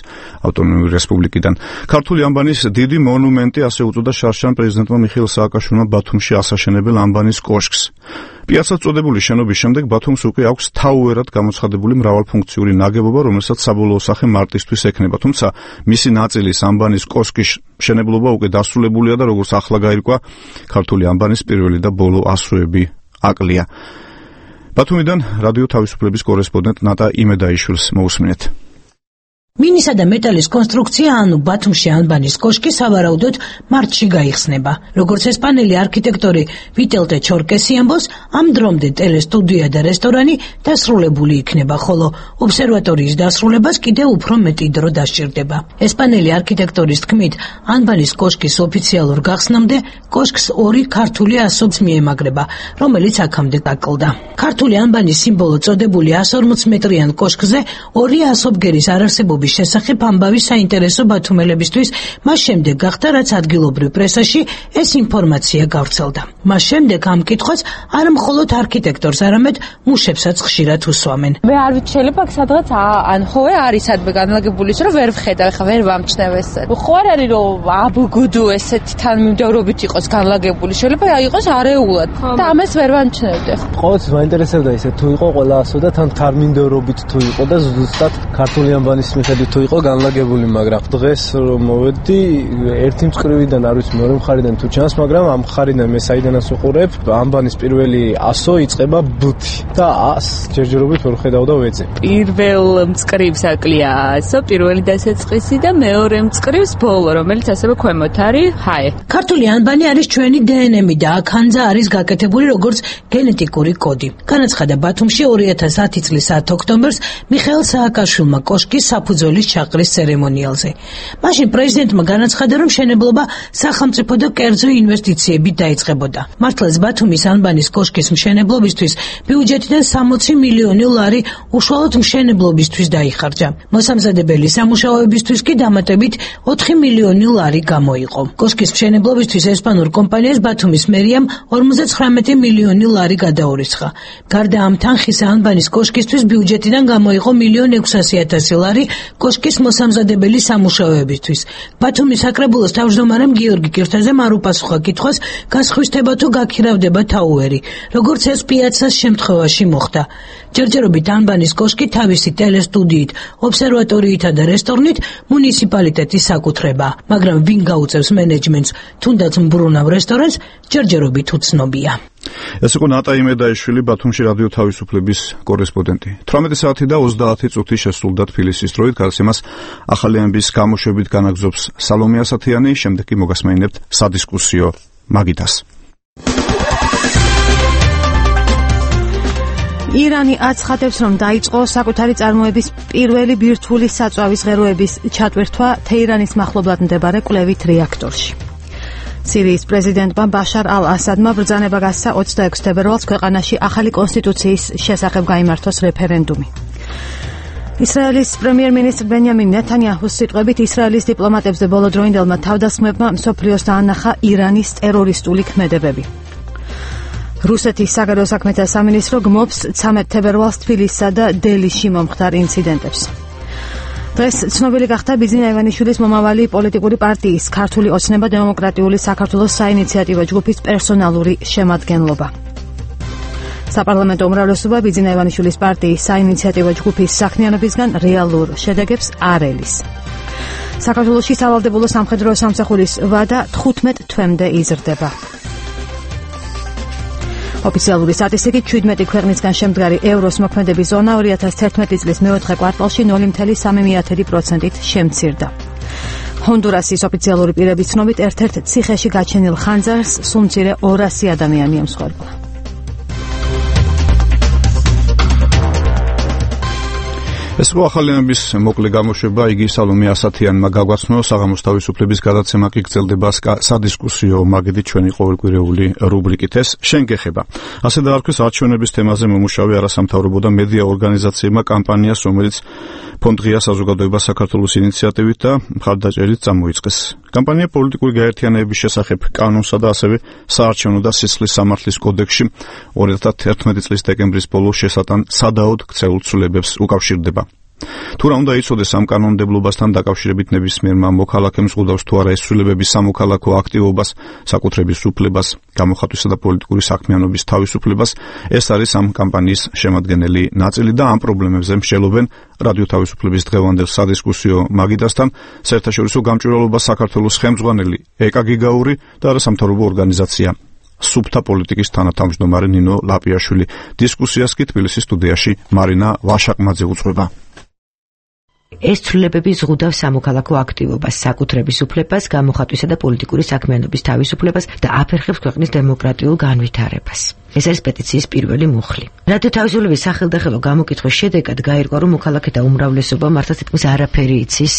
ავტონომიური რესპუბლიკიდან. ქართული ანბანის დიდი მონუმენტი, ასე უწოდა შარშან პრეზიდენტმა მიხეილ სააკაშვილმა ბათუმში ასაშენებელ ანბანის კოშკს. პიაცად წოდებული შენობის შემდეგ ბათუმს უკვე აქვს თაუერად გამოცხადებული მრავალფუნქციური ნაგებობა, რომელსაც საბოლოო სახე მარტისთვის ექნება, თუმცა მისი ნაწილის ანბანის კოშკის მშენებლობა უკვე დასრულებულია და როგორც ახლა გაირკვა, ქართული ანბანის პირველი და ბოლო ასოები აკლია. ბათუმიდან რადიო თავისუფლების კორესპონდენტ ნატა იმედაიშვილს მოусმინეთ. მინისა და მეტალის კონსტრუქცია, ანუ ბათუმში ანბანის კოშკი სავარაუდოდ მარტში გაიხსნება. როგორც ესპანელი არქიტექტორი ვიტელტე ჩორკესი ამბობს, ამ დრომდე ტელესტუდია და რესტორანი დასრულებული იქნება, ხოლო ობსერვატორიის დასრულებას კიდევ უფრო მეტი დრო დასჭირდება. ესპანელი არქიტექტორის თქმით, ანბანის კოშკის ოფიციალურ გახსნამდე კოშკს ორი ქართული ასოც მიემაგრება, რომელიც აქამდე გაკლდა. ქართული ანბანის სიმბოლო წოდებული εκατს ორმოც მეტრიან კოშკზე ორი ასობგერის არარსებობის შესახებ ამბავი საინტერესო ბათუმელებისთვის მას შემდეგ გახდა, რაც ადგილობრივ პრესაში ეს ინფორმაცია გავრცელდა. მას შემდეგ ამ კითხვას არა მხოლოდ არქიტექტორს, არამედ მუშებსაც ხშირად უსვამენ. მე არ ვიცი, შეიძლება აქ სადღაც ან ხოე არის სადმე განლაგებული, რომ ვერ ვხედავ, ხა ვერ ვამჩნევ ესე. ხო არ არის რომ აბგუდუ ესეთი თანმიმდევრობით იყოს განლაგებული, შეიძლება იყოს არეულად და ამას ვერ ვამჩნევდი. ყოველთვის მაინტერესებდა ისე თუ იყო ყველა ასო და თან თანმიმდევრობით თუ იყო და ზუსტად ქართული ანბანის მიხედვით იმედი თუ იყო განლაგებული, მაგრამ დღეს რომ მოვედი, ერთი მწკრივიდან არ ვიცი, მეორე მხარიდან თუ ჩანს, მაგრამ ამ მხარიდან მე საიდანაც ვიყურებ, ამბანის პირველი ასო იწყება ბუთი და ას ჯერჯერობით ვერ ხედავ და ვეძე. პირველ მწკრივს აკლია ასო, პირველი დასაწყისი და მეორე მწკრივს ბოლო, რომელიც ასევე ქვემოთ არის ჰაე. ქართული ანბანი არის ჩვენი დე ენ ემი და აქანძა არის გაკეთებული როგორც გენეტიკური კოდი. განაცხადა ბათუმში ორი ათას ათი წლის საათი ოქტომბერს მიხეილ სააკაშვილმა კოშკის საფუძვლის ჩაყრის ცერემონიალზე. მაშინ პრეზიდენტმა განაცხადა, რომ მშენებლობა სახელმწიფო და კერძო ინვესტიციებით დაიწყებოდა. მართლაც ბათუმის ანბანის კოშკის მშენებლობისთვის ბიუჯეტიდან სამოცი მილიონი ლარი უშუალოდ მშენებლობისთვის დაიხარჯა. მოსამზადებელი სამუშაოებისთვის კი დამატებით ოთხი მილიონი ლარი გამოიყო. კოშკის მშენებლობისთვის ესპანურ კომპანიას ბათუმის მერიამ ორმოცდათხრამეტი მილიონი ლარი გადაურიცხა. გარდა ამ თანხისა ანბანის კოშკისთვის ბიუჯეტიდან გამოიყო მილიონი ექვსასი ათასი ლარი კოშკის მოსამზადებელი სამუშაოებისთვის. ბათუმის საკრებულოს თავმჯდომარემ გიორგი კირთაზემ არ უპასუხა კითხვას, გასხვისდება თუ გაქირავდება თაუერი, როგორც ეს პიაცას შემთხვევაში მოხდა. ჯერჯერობით ანბანის კოშკი თავისი ტელესტუდიით, ობსერვატორიითა და რესტორნით მუნიციპალიტეტის საკუთრება, მაგრამ ვინ გაუწევს მენეჯმენტს, თუნდაც მბრუნავ რესტორანს, ჯერჯერობით უცნობია. ეს იყო ნატა იმედაიშვილი, ბათუმში რადიო თავისუფლების კორესპონდენტი. თვრამეტი საათი და ოცდაათი წუთი შესრულდა თბილისის დროით, გადაცემას ახალი ამბის გამოშვებით განაგზობს სალომე ასათიანი, შემდეგ კი მოგასმენინებთ სადისკუსიო მაგიდას. ირანი აცხადებს, რომ დაიწყო საკუთარი წარმოების პირველი ბირთვული საწვავის ღეროების ჩატვირთვა თეირანის მახლობლად მდებარე კვლევით რეაქტორში. სირიის პრეზიდენტმა ბაშარ ალ-ასადმა ბრძანება გასცა ოცდაექვსი თებერვალს ქვეყანაში ახალი კონსტიტუციის შესახებ გაიმართოს რეფერენდუმი. ისრაელის პრემიერ-მინისტრ ბენიამინ ნეთანიაჰუს სიტყვებით, ისრაელის დიპლომატებზე ბოლო დროინდელმა თავდასხმებმა მსოფლიოს დაანახა ირანის ტერორისტული ქმედებები. რუსეთის საგარეო საქმეთა სამინისტრო გმობს ცამეტ თებერვალს თბილისსა და დელიში მომხდარ ინციდენტებს. დღეს ცნობილი გახდა ბიძინა ივანიშვილის მომავალი პოლიტიკური პარტიის ქართული ოცნება დემოკრატიული საქართველოს საინიციატივო ჯგუფის პერსონალური შემადგენლობა. საპარლამენტო უმრავლესობა ბიძინა ივანიშვილის პარტიის საინიციატივო ჯგუფის საქმიანობისგან რეალურ შედეგებს არ ელის. საქართველოში სავალდებულო სამხედრო სამსახურის ვადა თხუთმეტ თვემდე იზრდება. ოფიციალური სტატისტიკით ჩვიდმეტი ქვეყნისგან შემდგარი ევროს მოქმედების ზონა ორი ათას თერთმეტი წლის მეოთხე კვარტალში ნული virgulă სამი პროცენტით შემცირდა. ჰონდურასის ოფიციალური პირების ცნობით ერთ-ერთ ციხეში გაჩენილ ხანძარს სულ მცირე ორასი ადამიანი ემსხვერპლა. ეს იყო ახალი ამბის მოკლე გამოშვება, იგი სალომე ასათიანმა გაგვაცნო, საღამოს თავისუფლების გადაცემა კი გრძელდება სადისკუსიო მაგიდით ჩვენი ყოველკვირეული რუბრიკით. ეს შენ გეხება. ასე დაარქვეს არჩევნების თემაზე მომუშავე არასამთავრობო და მედია ორგანიზაციებმა კამპანიას, რომელიც ფონდ-ღია საზოგადოება საქართველოს ინიციატივით და მხარდაჭერით წამოიწყეს. კამპანია პოლიტიკური გაერთიანების შესახებ კანონსა და ასევე საარჩევნო და სისხლის სამართლის კოდექსში ორი ათას თერთმეტი წლის დეკემბრის ბოლოს შესატან სადაოდ ქცეულ ცვლილებებს უკავშირდება. თუ რა უნდა იცოდეს ამ კანონმდებლობასთან დაკავშირებით ნებისმიერმა მოქალაქემ ზღუდავს თუ არა ეს ცვლილებების სამოქალაქო აქტივობას, საკუთრების უფლებას, გამოხატვისა და პოლიტიკური საქმიანობის თავისუფლებას, ეს არის ამ კამპანიის შემადგენელი ნაწილი და ამ პრობლემებზე მსჯელობენ რადიო თავისუფლების დღევანდელ სადისკუსიო მაგიდასთან საერთაშორისო გამჭვირვალობა საქართველოს ხელმძღვანელი ეკა გიგაური და არასამთავრობო ორგანიზაცია სუბთა პოლიტიკის თანათავმჯდომარე ნინო ლაპიაშვილი. დისკუსიას კი თბილისის სტუდიაში მარინა ვაშაკმაძე უძღვება. ეს ცვლილებები ზღუდავს სამოქალაქო აქტივობას, საკუთრების უფლებას, გამოხატვისა და პოლიტიკური საქმიანობის თავისუფლებას და აფერხებს ქვეყნის დემოკრატიულ განვითარებას. ეს არის პეტიციის პირველი მუხლი. რადიო თავისუფლების სახელდახელო გამოკითხვის შედეგად გაირკვა, რომ მოქალაქეთა უმრავლესობა მართლაც თითქმის არაფერი იცის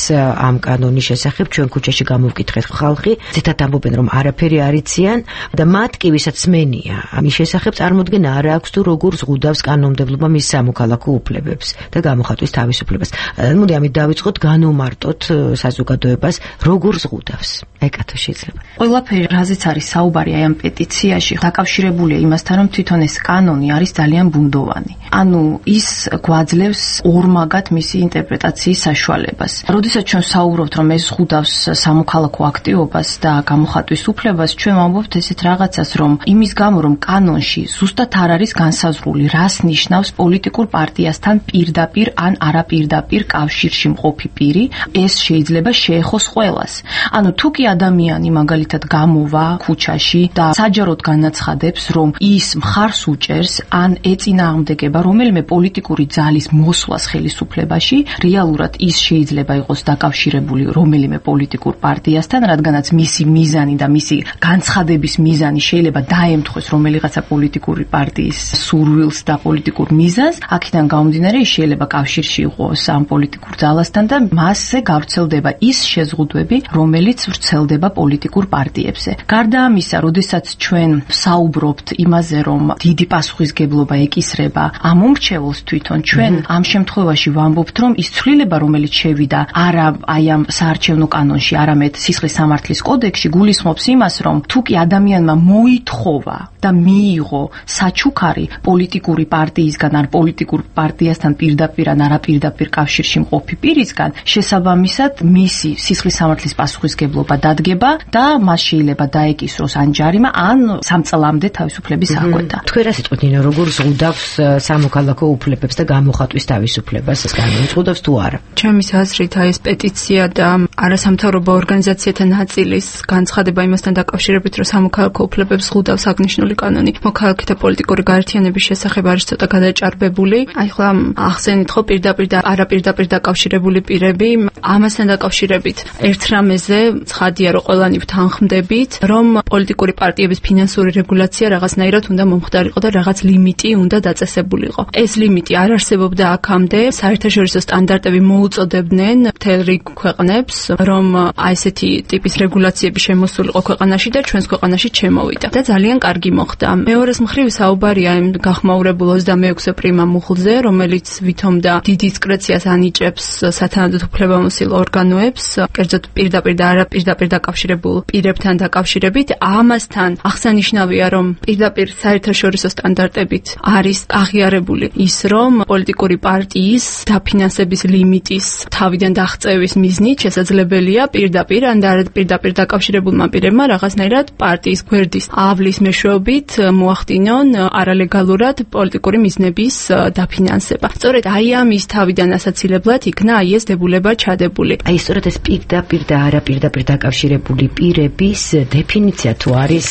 ამ კანონის შესახებ. ჩვენ ქუჩაში გამოვკითხეთ ხალხი, ცითად ამბობენ, რომ არაფერი არ იციან და მათ კი ვისაც სმენია ამის შესახებ წარმოდგენა არ აქვს თუ როგორ ზღუდავს კანონმდებლობა მის სამოქალაქო უფლებებს და გამოხატვის თავისუფლებას. მოდი ამით დავიწყოთ, განვმარტოთ საზოგადოებას, როგორ ზღუდავს. ეკა თუ შეიძლება. ყველაფერი, რაზეც არის საუბარი აი ამ პეტიციაში, დაკავშირებულია იმასთან, რომ რომ თვითონ ეს კანონი არის ძალიან ბუნდოვანი. ანუ ის გვაძლევს ორმაგად მისი ინტერპრეტაციის საშუალებას. როდესაც ჩვენ საუბრობთ, რომ ეს ზღუდავს სამოქალაქო აქტივობას და გამოხატვის უფლებას, ჩვენ ვამბობთ ესეთ რაღაცას, რომ იმის გამო, რომ კანონში ზუსტად არ არის განსაზღვრული, რას ნიშნავს პოლიტიკურ პარტიასთან პირდაპირ ან არაპირდაპირ კავშირში მყოფი პირი, ეს შეიძლება შეეხოს ყველას. ანუ თუ კი ადამიანი მაგალითად გამოვა ქუჩაში და საჯაროდ განაცხადებს, რომ ის მხარს უჭერს ან ეწინააღმდეგება რომელიმე პოლიტიკური ძალის მოსვლას ხელისუფლებაში, რეალურად ის შეიძლება იყოს დაკავშირებული რომელიმე პოლიტიკურ პარტიასთან, რადგანაც მისი მიზანი და მისი განცხადების მიზანი შეიძლება დაემთხვეს რომელიღაცა პოლიტიკური პარტიის სურვილს და პოლიტიკურ მიზანს, აქედან გამომდინარე ის შეიძლება კავშირში იყოს ამ პოლიტიკურ ძალასთან და მასზე გავრცელდება ის შეზღუდვები, რომელიც ვრცელდება პოლიტიკურ პარტიებზე. გარდა ამისა, როდესაც ჩვენ საუბრობთ იმაზე, რომ დიდი პასუხისგებლობა ეკისრება ამ უმრჩეველს თვითონ, ჩვენ ამ შემთხვევაში ვამბობთ, რომ ის ცვლილება, რომელიც შევიდა არა აი ამ საარჩევნო კანონში, არამედ სისხლის სამართლის კოდექსში, გულისხმობს იმას, რომ თუ კი ადამიანმა მოითხოვა და მიიღო საჩუქარი პოლიტიკური პარტიისგან ან პოლიტიკურ პარტიასთან პირდაპირ ან არაპირდაპირ კავშირში მყოფი პირისგან, შესაბამისად მისი სისხლის სამართლის პასუხისგებლობა დადგება და მას შეიძლება დაეკისროს ან ჯარიმა, ან სამ წლამდე თავისუფლების აღკვეთა. თქვენ რა სიტყვით ნინო, როგორ ზღუდავს სამოქალაქო უფლებებს და გამოხატვის თავისუფლებას ეს კანონი, ზღუდავს თუ არა? ჩემის აზრით, აი ეს პეტიცია და არასამთავრობო ორგანიზაციათა ნაწილის განცხადება იმასთან დაკავშირებით, რომ სამოქალაქო უფლებებს ზღუდავს აღნიშნული კანონი, მოქალაქეთა პოლიტიკური გაერთიანების შესახებ არის ცოტა გადაჭარბებული. აი ხლა ახსენით ხო პირდაპირ და არაპირდაპირ დაკავშირებული პირები, ამასთან დაკავშირებით ერთ რამეზე ცხადია, რომ ყველანი ვთანხმდებით, რომ პოლიტიკური პარტიების ფინანსური რეგულაცია რაღაცნაირად უნდა მომხდარიყო და რაღაც ლიმიტი უნდა დაწესებულიყო. ეს ლიმიტი არ არსებობდა აქამდე, საერთაშორისო სტანდარტები მოუწოდებდნენ მთელ რიგ ქვეყნებს, რომ აი ესეთი ტიპის რეგულაციები შემოსულიყო ქვეყანაში და ჩვენს ქვეყანაში შემოვიდა და ძალიან კარგი მოხდა. მეორეს მხრივ საუბარია იმ გახმაურებულ ოცდამეექვსე პრიმა მუხლზე, რომელიც ვითომდა დიდ დისკრეციას ანიჭებს სათანადოდ უფლებამოსილ ორგანოებს, კერძოდ პირდაპირ და არაპირდაპირ დაკავშირებულ პირებთან დაკავშირებით. ამასთან აღსანიშნავია, რომ პირდაპირ საერთაშორისო სტანდარტებით არის აღიარებული ის, რომ პოლიტიკური პარტიის დაფინანსების ლიმიტის თავიდან დაღწევის მიზნით შესაძლებელია პირდაპირ ან არაპირდაპირ დაკავშირებულმა პირებმა რაღაცნაირად პარტიის გვერდის ავლის მეშვეობით მოახდინონ არალეგალურად პოლიტიკური მიზნების დაფინანსება. სწორედ აი ამის თავიდან ასაცილებლად იქნა აი ეს დებულება ჩადებული. აი სწორედ ეს პირდაპირ და არაპირდაპირ დაკავშირებული პირების დეფინიცია თუ არის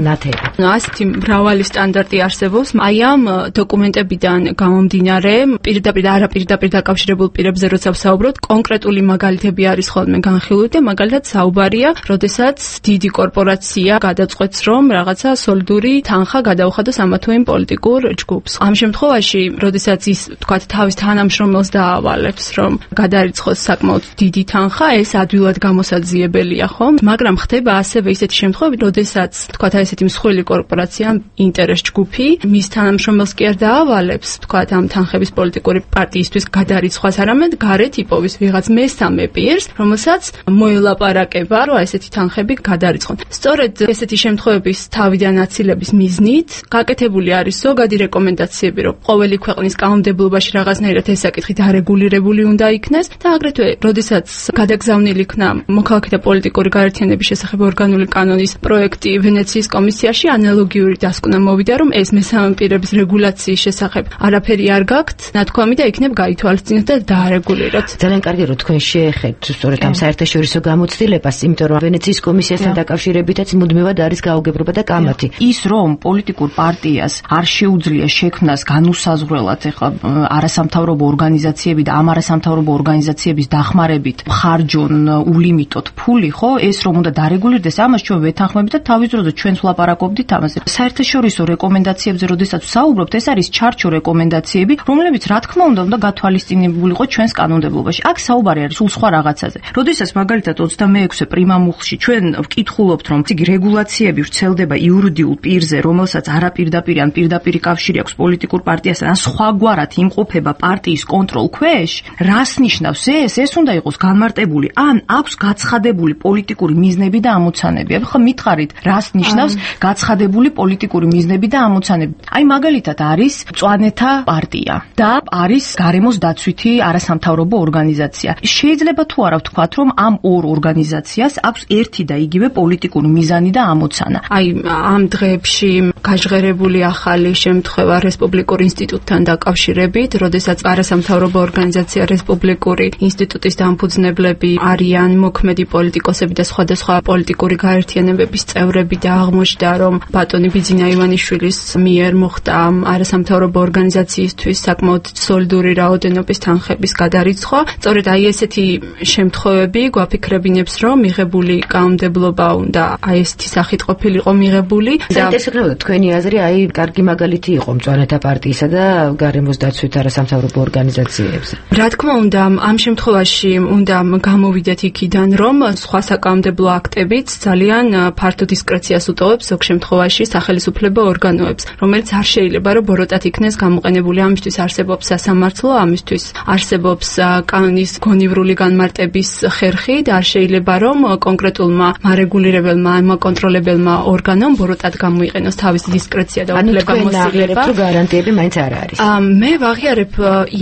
ნათელი. ასეთი მრავალი სტანდარტი არსებობს. აი ამ დოკუმენტებიდან გამომდინარე, პირდაპირ და არაპირდაპირ დაკავშირებულ პირებზე როცა ვსაუბრობთ, კონკრეტული მაგალითები არის ხოლმე განხილული და მაგალითად საუბარია, როდესაც დიდი კორპორაცია გადაწყვეტს, რომ რაღაცა სოლიდური თანხა გადაუხადოს ამა თუ იმ პოლიტიკურ ჯგუფს. ამ შემთხვევაში, როდესაც ის თქვათ თავის თანამშრომელს დაავალებს, რომ გადარიცხოს საკმაოდ დიდი თანხა, ეს ადვილად გამოსაძიებელია, ხომ? მაგრამ ხდება ასევე ისეთი შემთხვევები, როდესაც თქვათ აი ესეთი მსხვილი კორპორაცია, ინტერეს ჯგუფი, მის თანამშრომელს კი არ დაავალებს, თქვათ ამ თანხების პოლიტიკური პარტიისთვის გადარიცხვას, არამედ გარეთ იპოვის ვიღაც მესამე პირს, რომელსაც მოელაპარაკება, რომ აი ესეთი თანხები გადარიცხონ. სწორედ ესეთი შემთხვევების თავიდან აცილების მიზნით გაკეთებული არის ზოგადი რეკომენდაციები, რომ ყოველი ქვეყნის კანონმდებლობაში რაღაცნაირად ეს საკითხი დარეგულირებული უნდა იქნეს და აგრეთვე, როდესაც გადაგზავნილი იქნა მოქალაქეთა პოლიტიკური გაერთიანების შესახებ ორგანული კანონის პროექტი ვენეციის კომისიაში, ანალოგიური დასკვნა მოვიდა, რომ ეს მესამე პირების რეგულაციის შესახებ არაფერი არ გაქვთ, ნათქვამი და იქნებ გაითვალისწინოთ და დაარეგულიროთ. ძალიან კარგი, რომ თქვენ შეეხებთ სწორედ ამ საერთაშორისო გამოცდილებას, იმიტომ რომ ვენეციის კომისიასთან დაკავშირებითაც მუდმივად არის გაუგებრობა და კამათი. ის რომ პოლიტიკურ პარტიას არ შეუძლია შექმნას განუსაზღვრელად ეხლა არასამთავრობო ორგანიზაციები და ამ არასამთავრობო ორგანიზაციების დახმარებით ხარჯონ ულიმიტოდ ფული, ხო, ეს რომ უნდა დარეგულირდეს, ამას ჩვენ ვეთანხმებით და თავის დროზე ჩვენც ვლაპარაკობდით ამაზე. საერთაშორისო რეკომენდაციებზე, როდესაც ვსაუბრობთ, ეს არის ჩარჩო რეკომენდაციები, რომლებიც რა თქმა უნდა უნდა გათვალისწინებულიყო ჩვენს კანონმდებლობაში. აქ საუბარი არის სულ სხვა რაღაცაზე. როდესაც მაგალითად ოცდამეექვსე პრიმა მუხლში ჩვენ ვკითხულობთ, რომ იგი რეგულაციები ვრცელდება იურიდიულ პირზე, რომელსაც არაპირდაპირ ან პირდაპირ კავშირი აქვს პოლიტიკურ პარტიასთან, ან სხვაგვარად იმყოფება პარტიის კონტროლ ქვეშ, რას ნიშნავს ეს? ეს უნდა იყოს განმარტებული, ან აქვს გაცხადებული პოლიტიკური მიზნები და ამოცანები. ახლა მითხარით, რას ნიშნავს გაცხადებული პოლიტიკური პოლიტიკური მიზნები და ამოცანები. აი მაგალითად არის მწვანეთა პარტია და არის გარემოს დაცვითი არასამთავრობო ორგანიზაცია. შეიძლება თუ არა ვთქვათ, რომ ამ ორ ორგანიზაციას აქვს ერთი და იგივე პოლიტიკური მიზანი და ამოცანა. აი ამ დღეებში გაჟღერებული ახალი შემთხვევა რესპუბლიკურ ინსტიტუტთან დაკავშირებით, როდესაც არასამთავრობო ორგანიზაცია რესპუბლიკური ინსტიტუტის დამფუძნებლები არიან მოქმედი პოლიტიკოსები და სხვადასხვა პოლიტიკური გაერთიანებების წევრები და აღმოჩნდა, რომ ბატონი ბიძინა ივანიშვილის მიერ მოხდა არასამთავრობო ორგანიზაციისთვის საკმაოდ სოლიდური რაოდენობის თანხების გადარიცხვა. სწორედ აი ესეთი შემთხვევები გვაფიქრებინებს, რომ მიღებული კანონმდებლობა უნდა აი ესეთი სახით ყოფილიყო მიღებული. საინტერესო თქვენი აზრი აი კარგი მაგალითი იყო მწვანეთა პარტიისა და გარემოს დაცვით არასამთავრობო ორგანიზაციებზე. რა თქმა უნდა, ამ შემთხვევაში უნდა გამოვიდეთ იქიდან, რომ სხვა საკანონმდებლო აქტებიც ძალიან ფართო დისკრეციას უტოვებს ზოგ შემთხვევაში სახელისუფლებო ორგანოებს, რომელიც არ შეიძლება რომ ბოროტად იქნეს გამოყენებული. ამისთვის არსებობს სასამართლო, ამისთვის არსებობს კანონის გონივრული განმარტების ხერხი და არ შეიძლება რომ კონკრეტულმა მარეგულირებელმა, კონტროლებელმა ორგანომ ბოროტად გამოიყენოს თავისი დისკრეცია და უფლებამოსილება. ანუ გარანტიები მაინც არ არის. მე ვაღიარებ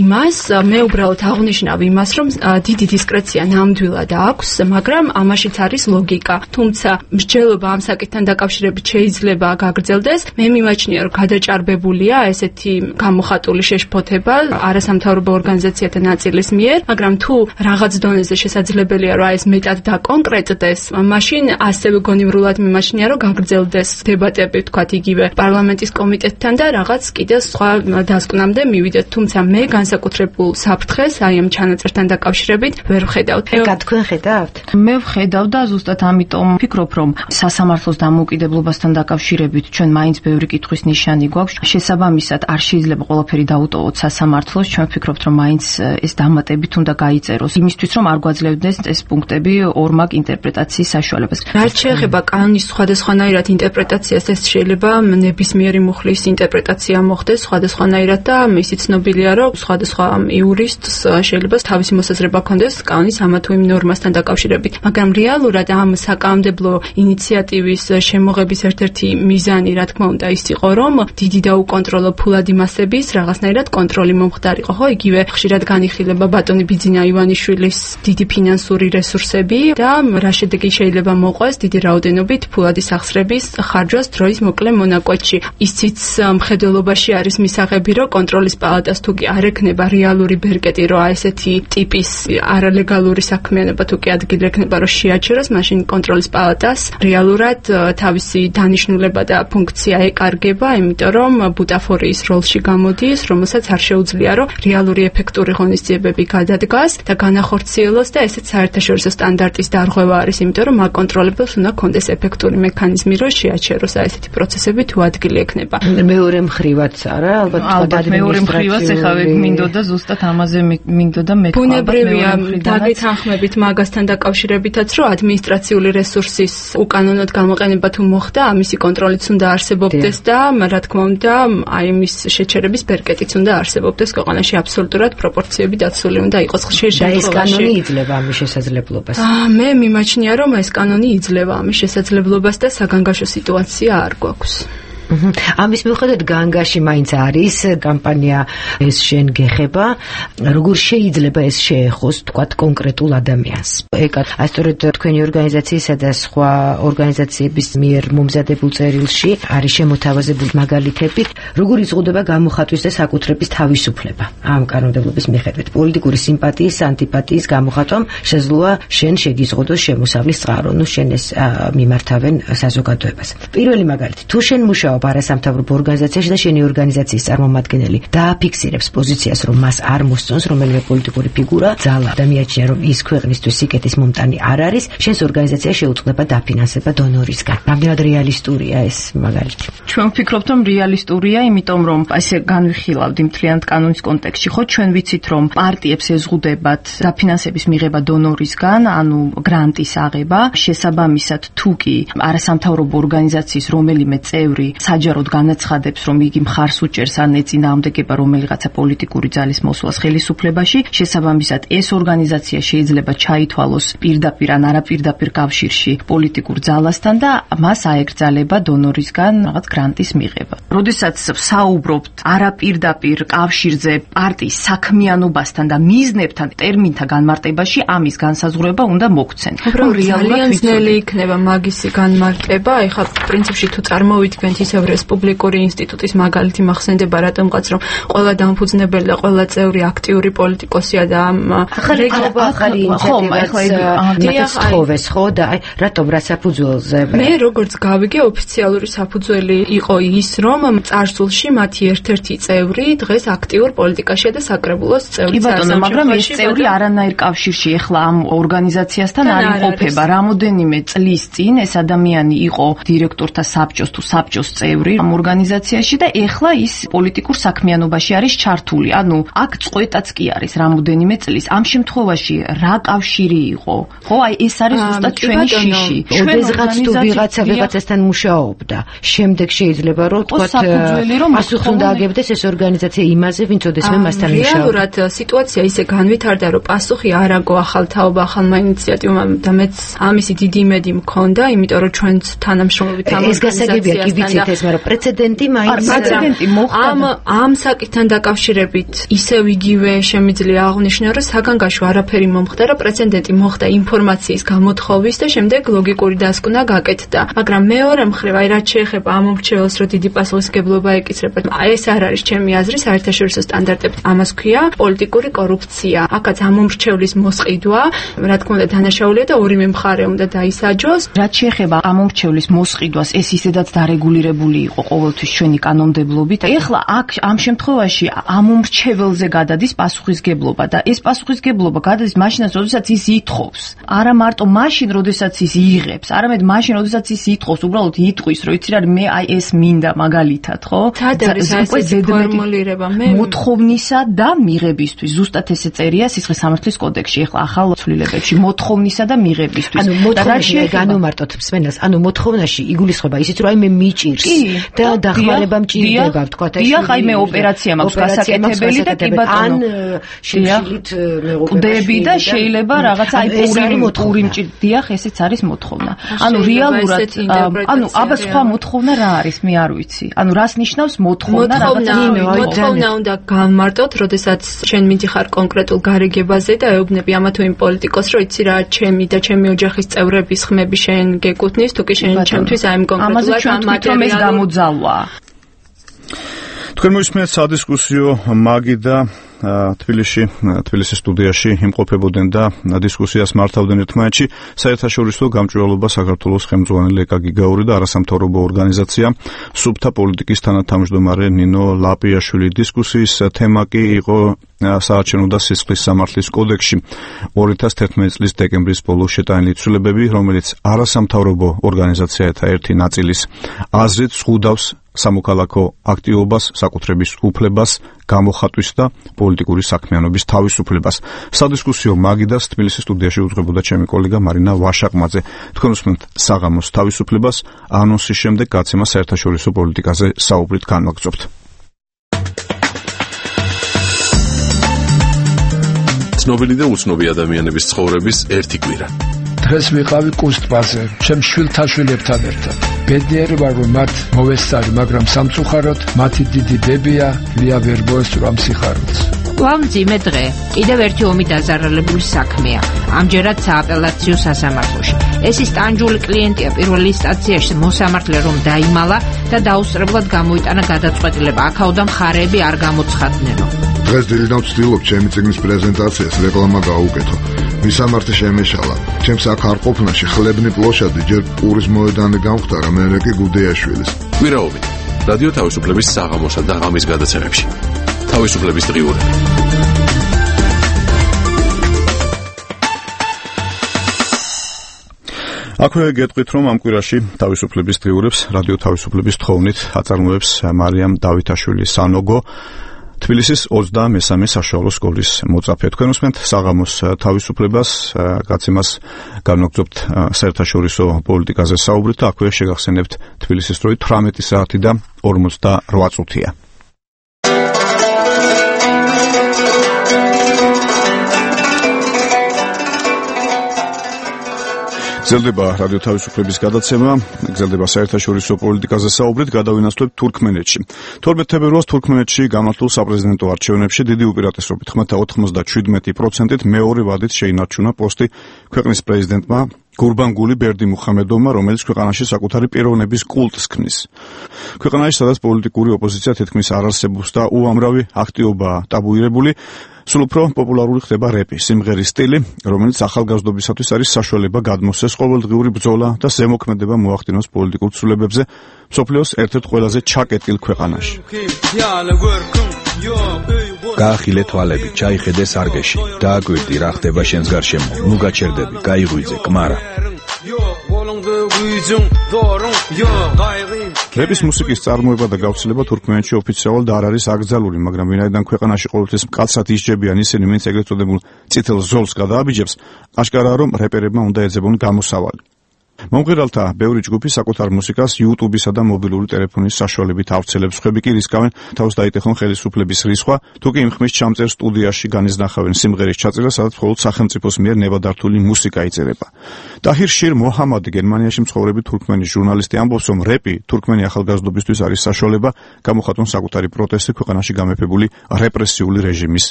იმას, მე უბრალოდ აღნიშნავ იმას, რომ დიდი დისკრეცია ნამდვილად აქვს, მაგრამ ამაშიც არის ლოგიკა. თუმცა მსჯელობა ამ საკითხთან დაკავშირებით შეიძლება გაგრძელდეს. მე მიმაჩნია, რომ გადაჭარბებულია ესეთი გამოხატული შეშფოთება არასამთავრობო ორგანიზაციათა ნაწილის მიერ, მაგრამ თუ რაღაც დონეზე შესაძლებელია, რომ ეს მეტად დაკონკრეტდეს, მაშინ ასევე გონივრულად მიმაჩნია, რომ გაგრძელდეს დებატები, თქვათ იგივე პარლამენტის კომიტეტთან და რაღაც კიდე სხვა დასკვნამდე მივიდეთ. თუმცა მე განსაკუთრებულ საფრთხეს აი ამ ჩანაწერთან დაკავშირებით ვერ ვხედავ. ეკა თქვენ ხედავთ? მე ვხედავ და ზუსტად ამიტომ ვფიქრობ, რომ სასამართლოს დამოუკიდებლობასთან დაკავშირებით ჩვენ მაინც ბევრი კითხვის ნიშანი გვაქვს. შესაბამისად არ შეიძლება ყველაფერი დაუტოვოთ სასამართლოს. ჩვენ ვფიქრობთ, რომ მაინც ეს დამატებით უნდა გაიწეროს იმისთვის, რომ არ გვაძლევდეს ეს პუნქტები ორმაგ ინტერპრეტაციის საშუალებას. რაც შეეხება კანონის სხვადასხვანაირად ინტერპრეტაციას, ეს შეიძლება ნებისმიერი მუხლის ინტერპრეტაცია მოხდეს სხვადასხვანაირად და ისიც ცნობილია, რომ სხვადასხვა იურისტს შეიძლება თავისი მოსაზრება ჰქონდეს კანონის ამა თუ იმ ნორმასთან დაკავშირებით. მაგრამ რეალურად ამ საკანონმდებლო ინიციატივის შემოღების ერთ-ერთი მიზანი, რა თქმა უნდა, ის იყო, რომ დიდი და უკონტროლო ფულადი მასების რაღაცნაირად კონტროლი მომხდარიყო, ხო? იგივე ხშირად განიხილება ბატონი ბიძინა ივანიშვილის დიდი ფინანსური რესურსები და რა შედეგი შეიძლება მოყვეს დიდი რაოდენობით ფულადი სახსრების ხარჯვას დროის მოკლე მონაკვეთში. ისიც მხედველობაში არის მისაღები, რომ კონტროლის პალატას თუ კი არ ექნება რეალური ბერკეტი, რომ აი ესეთი ტიპის არალეგალური საქმიანობა თუ კი ადგილი ექნება, რომ შეაჩეროს, მაშინ კონტროლის პალატას რეალურად თავისი დანიშნულება და ფუნქცია ეკარგება, იმიტომ რომ ბუტაფორიის როლში გამოდის, რომელსაც არ შეუძლია, რომ რეალური ეფექტური ღონისძიებები გადადგას და განახორციელოს და ესეც საერთაშორისო სტანდარტის დარღვევა არის, იმიტომ რომ აკონტროლებელს უნდა კონდეს ეფექტური მექანიზმი, რომ შეაჩეროს აი ესეთი პროცესები თუ ადგილი ექნება. მეორე მხრივაც არა, ალბათ ალბათ მეორე მხრივაც ეხლა მინდოდა ზუსტად ამაზე მინდოდა მეთქვა. ბუნებრივია დაგეთანხმებით მაგასთან დაკავშირებითაც, რომ ადმინისტრაციული რესურსის უკანონოდ გამოყენება თუ მოხდა, ამისი კონტროლიც უნდა არსებობდეს და რა თქმა უნდა, აი მის შეჩერების ბერკეტიც უნდა არსებობდეს ქვეყანაში აბსოლუტურად პროპორციები დაცული უნდა იყოს ხშირ შემთხვევაში. და ეს კანონი იძლევა ამის შესაძლებლობას. მე მიმაჩნია, რომ ეს კანონი იძლევა ამის შესაძლებლობას და საგანგაშო სიტუაცია არ გვაქვს. ამის მიუხედავად განგაში მაინც არის კამპანია ეს შენ გეხება, როგორ შეიძლება ეს შეეხოს თქვათ კონკრეტულ ადამიანს. ეკა ასწორედ თქვენი ორგანიზაციისა და სხვა ორგანიზაციების მიერ მომზადებულ წერილში არის შემოთავაზებული მაგალითები, როგორ იზღუდება გამოხატვის და საკუთრების თავისუფლება ამ კანონმდებლობის მიხედვით. პოლიტიკური სიმპათიის, ანტიპათიის გამოხატვამ შესაძლოა შენ შეგიზღუდოს შემოსავლის წყარო, ნუ შენ ეს მიმართავენ საზოგადოებას. პირველი მაგალითი, თუ შენ მუშაობ არასამთავრობო ორგანიზაციაში და შენი ორგანიზაციის წარმომადგენელი დააფიქსირებს პოზიციას, რომ მას არ მოსწონს რომელიმე პოლიტიკური ფიგურა, ძალა და მიაჩნია, რომ ის ქვეყნისთვის სიკეთის მომტანი არ არის, შენს ორგანიზაცია შეუწყდება დაფინანსება დონორისგან. რამდენად რეალისტურია ეს მაგალითი? ჩვენ ვფიქრობთ, რომ რეალისტურია, იმიტომ რომ ესე განვიხილავთ მთლიანად კანონის კონტექსტში, ხო ჩვენ ვიცით, რომ პარტიებს ეზღუდებათ დაფინანსების მიღება დონორისგან, ანუ გრანტის აღება, შესაბამისად თუ კი არასამთავრობო ორგანიზაციის რომელიმე წევრი საჯაროდ განაცხადებს, რომ იგი მხარს უჭერს ან ეწინააღმდეგება რომელიღაცა პოლიტიკური ძალის მოსვლას ხელისუფლებაში, შესაბამისად ეს ორგანიზაცია შეიძლება ჩაითვალოს პირდაპირ ან არაპირდაპირ კავშირში პოლიტიკურ ძალასთან და მას აეკრძალება დონორისგან რაღაც გრანტის მიღება. როდესაც საუბრობთ არაპირდაპირ კავშირზე პარტიის საქმიანობასთან და მიზნებთან ტერმინთა განმარტებაში, ამის განსაზღვრება უნდა მოგცენ. ძალიან ძნელი იქნება მაგისი განმარტება. ეხლა პრინციპში თუ წარმოვიდგენთ ისევ რესპუბლიკური ინსტიტუტის მაგალითი მახსენდება, რატომღაც რომ ყველა დამფუძნებელი და ყველა წევრი აქტიური პოლიტიკოსია და ამ რეგულობა ახალი ინიციატივას თხოვეს, ხო და აი რატომ რა საფუძველზე? მე როგორც გავიგე, ოფიციალური საფუძველი იყო ის, რომ წარსულში მათი ერთ-ერთი წევრი დღეს აქტიურ პოლიტიკაშია და საკრებულოს წევრი. კი ბატონო, მაგრამ ეს წევრი არანაირ კავშირში ეხლა ამ ორგანიზაციასთან არ იმყოფება. რამოდენიმე წლის წინ ეს ადამიანი იყო დირექტორთა საბჭოს თუ საბჭოს წევრი ამ ორგანიზაციაში და ეხლა ის პოლიტიკურ საქმიანობაში არის ჩართული. ანუ აქ წყვეტაც კი არის რამოდენიმე წლის. ამ შემთხვევაში რა კავშირი იყო? ხო, აი ეს არის ზუსტად ჩვენი შიში. ოდესღაც თუ ვიღაცა ვიღაცასთან მუშაობდა, შემდეგ შეიძლება რომ თქვათ პასუხი უნდა აგებდეს ეს ორგანიზაცია იმაზე, ვინც ოდესმე მასთან მუშაობდა. რეალურად სიტუაცია ისე განვითარდა, რომ პასუხი არ აგო ახალ თაობა, ახალმა ინიციატივამ და მეც ამისი დიდი იმედი მქონდა, იმიტომ რომ ჩვენც თანამშრომლობით ამ ეს გასაგებია, კი ვიცით ეს, მაგრამ პრეცედენტი მაინც პრეცედენტი მოხდა. ამ ამ საკითხთან დაკავშირებით ისევ იგივე შემიძლია აღნიშნო, რომ საგანგაშო არაფერი მომხდარა, პრეცედენტი მოხდა ინფორმაციის გამოთხოვის და შემდეგ ლოგიკური დასკვნა გაკეთდა. მაგრამ მეორე მხრივ, აი რაც შეეხება ამ მომრჩეველს, რომ დიდი პასუხისმგებლობა ეკისრება, ეს არ არის ჩემი აზრი საერთაშორისო სტანდარტებით. ამას ქვია პოლიტიკური კორუფცია. აქაც ამ მომრჩევლის მოსყიდვა, რა თქმა უნდა, დანაშაულია და ორივე მხარე უნდა დაისაჯოს. რაც შეეხება ამ მომრჩევლის მოსყიდვას, ეს ისედაც დარეგულირებული იყო ყოველთვის ჩვენი კანონმდებლობით. ეხლა აქ ამ შემთხვევაში ამ მომრჩეველზე გადადის პასუხისმგებლობა და ეს პასუხისმგებლობა გადადის მაშინაც, როდესაც ის ითხოვს. არა მარტო მაშინ, როდესაც ის იღებს, არამედ მაშინ, როდესაც ის ითხოვს, უბრალოდ იტყვის, რომ იცი რა, მე აი ეს მინდა მაგალითად, ხო? სად არის ეს ფორმულირება? მე მოთხოვნისა და მიღებისთვის. ზუსტად ესე წერია სისხლის სამართლის კოდექსში, ეხლა ახალ ცვლილებებში, მოთხოვნისა და მიღებისთვის. ანუ მოთხოვნაში განვმარტოთ მსმენელს, ანუ მოთხოვნაში იგულისხმება ისიც, რომ აი მე მიჭირს და დახმარება მჭირდება, ვთქვათ ეს. დიახ, აი მე ოპერაცია მაქვს გასაკეთებელი და კი ბატონო. ან შიმშილით მეუღლები და შეიძლება რაღაცა აი პური მჭირდია, ესეც არის მოთხოვნა. ანუ რეალურად ანუ აბა სხვა მოთხოვნა რა არის, მე არ ვიცი. ანუ რას ნიშნავს მოთხოვნა რაღაცა? მოთხოვნა უნდა განმარტოთ, როდესაც ჩვენ მიდიხარ კონკრეტულ გარიგებაზე და ეუბნები ამა თუ იმ პოლიტიკოს, რომ იცი რა, ჩემი და ჩემი ოჯახის წევრების ხმები შენ გეკუთვნის, თუ კი შენ ჩემთვის აი ამ კონკრეტულად ამ მატერიალს გამოძალვა. თქვენ მოისმენთ სადისკუსიო მაგიდა თბილისში, თბილისის სტუდიაში იმყოფებოდნენ და დისკუსიას მართავდნენ ერთმანეთში საერთაშორისო გამჭვირვალობა საქართველოს ხელმძღვანელი ეკა გიგაური და არასამთავრობო ორგანიზაცია სუფთა პოლიტიკის თანათავმჯდომარე ნინო ლაპიაშვილი. დისკუსიის თემა კი იყო საარჩევნო და სისხლის სამართლის კოდექსში ორი ათას თერთმეტი წლის დეკემბრის ბოლოს შეტანილი ცვლილებები, რომელიც არასამთავრობო ორგანიზაციათა ერთი ნაწილის აზრით ზღუდავს სამოქალაქო აქტივობას, საკუთრების უფლებას, გამოხატვის და პოლიტიკური საქმიანობის თავისუფლებას. სადისკუსიო მაგიდას თბილისის სტუდიაში უძღვებოდა ჩემი კოლეგა მარინა ვაშაყმაძე. თქვენ უსმენთ საღამოს თავისუფლებას, ანონსის შემდეგ გაცემა საერთაშორისო პოლიტიკაზე საუბრით განვაგრძობთ. ცნობილი და უცნობი ადამიანების ცხოვრების ერთი კვირა. დღეს ვიყავი კუსტბაზე, ჩემ შვილთაშვილებთან ერთად. ბედნიერი ვარ, რომ მათ მოვესწარი, მაგრამ სამწუხაროდ მათი დიდი დებია ლია ვერ მოესწრო სიხარულს. ვამძიმე დღე. კიდევ ერთი ომი დაზარალებული საქმეა. ამჯერად სააპელაციო სასამართლოში. ეს ის ტანჯული კლიენტია პირველ ინსტანციაში მოსამართლე რომ დაიმალა და დაუსწრებლად გამოიტანა გადაწყვეტილება. აქაოდა მხარეები არ გამოცხადნენო. დღეს დილიდან ვცდილობ ჩემი წიგნის პრეზენტაციას რეკლამა გაუკეთო. მისამართი შემეშალა. ჩემს აქ არ ყოფნაში ხლებნი პლოშადი ჯერ პურის მოედანი გამختარა, მერე კი გუდეაშვილის. კვირაობით რადიო თავისუფლების საღამოსა და ღამის გადაცემებში. თავისუფლების დღიურები. აქვე გეტყვით, რომ ამ კვირაში თავისუფლების დღიურებს რადიო თავისუფლების თხოვნით აწარმოებს მარიამ დავითაშვილი სანოგო. თბილისის ოცდამესამე საშუალო სკოლის მოწაფე. თქვენ უსმენთ საღამოს თავისუფლებას, გაცემას განვაგრძობთ საერთაშორისო პოლიტიკაზე საუბრით და აქვე შეგახსენებთ თბილისის დროით თვრამეტი საათი და ორმოცდარვა წუთია. გრძელდება რადიო თავისუფლების გადაცემა, გრძელდება საერთაშორისო პოლიტიკაზე საუბრით, გადავინაცვლებთ თურქმენეთში. თორმეტ თებერვალს თურქმენეთში გამართულ საპრეზიდენტო არჩევნებში დიდი უპირატესობით ხმათა ოცდაშვიდ პროცენტით მეორე ვადით შეინარჩუნა პოსტი ქვეყნის პრეზიდენტმა გურბანგული ბერდიმუხამედოვმა, რომელიც ქვეყანაში საკუთარი პიროვნების კულტს ქმნის. ქვეყანაში, სადაც პოლიტიკური ოპოზიცია თითქმის არ არსებობს და უამრავი აქტივობაა ტაბუირებული, სულ უფრო პოპულარული ხდება რეპი, სიმღერის სტილი, რომელიც ახალგაზრდობისათვის არის საშუალება გადმოსცეს ყოველდღიური ბრძოლა და ზემოქმედება მოახდინოს პოლიტიკურ ცვლილებებზე მსოფლიოს ერთ-ერთ ყველაზე ჩაკეტილ ქვეყანაში. გაახილე თვალები, ჩაიხედე სარგეში, დააკვირდი რა ხდება შენს გარშემო, ნუ გაჩერდები, გაიღვიძე, კმარა. რეპის მუსიკის წარმოება და გავრცელება თურქმენეთში ოფიციალურად არ არის აკრძალული, მაგრამ ვინაიდან ქვეყანაში ყოველთვის მკაცრად ისჯებიან ისინი, ვინც ეგრეთ წოდებულ წითელ ზოლს გადააბიჯებს, აშკარაა, რომ რეპერებმა უნდა ეძებონ გამოსავალი. მომღერალთა ბევრი ჯგუფი საკუთარ მუსიკას YouTube-ისა და მობილური ტელეფონის საშუალებით ავრცელებს, ხები კი რისკავენ თავს დაიტეხონ ხელისუფლების რისხვა, თუ კი იმ ხმის ჩამწერ სტუდიაში განიზნახავენ სიმღერის ჩაწერას, სადაც მხოლოდ სახელმწიფოს მიერ ნებადართული მუსიკა იწერება. ტაჰირ შირ მოჰამადი, გერმანიაში მცხოვრები თურქმენის ჟურნალისტი, ამბობს, რომ რეპი თურქმენი ახალგაზრდობისთვის არის საშუალება გამოხატონ საკუთარი პროტესტი ქვეყანაში გამეფებული რეპრესიული რეჟიმის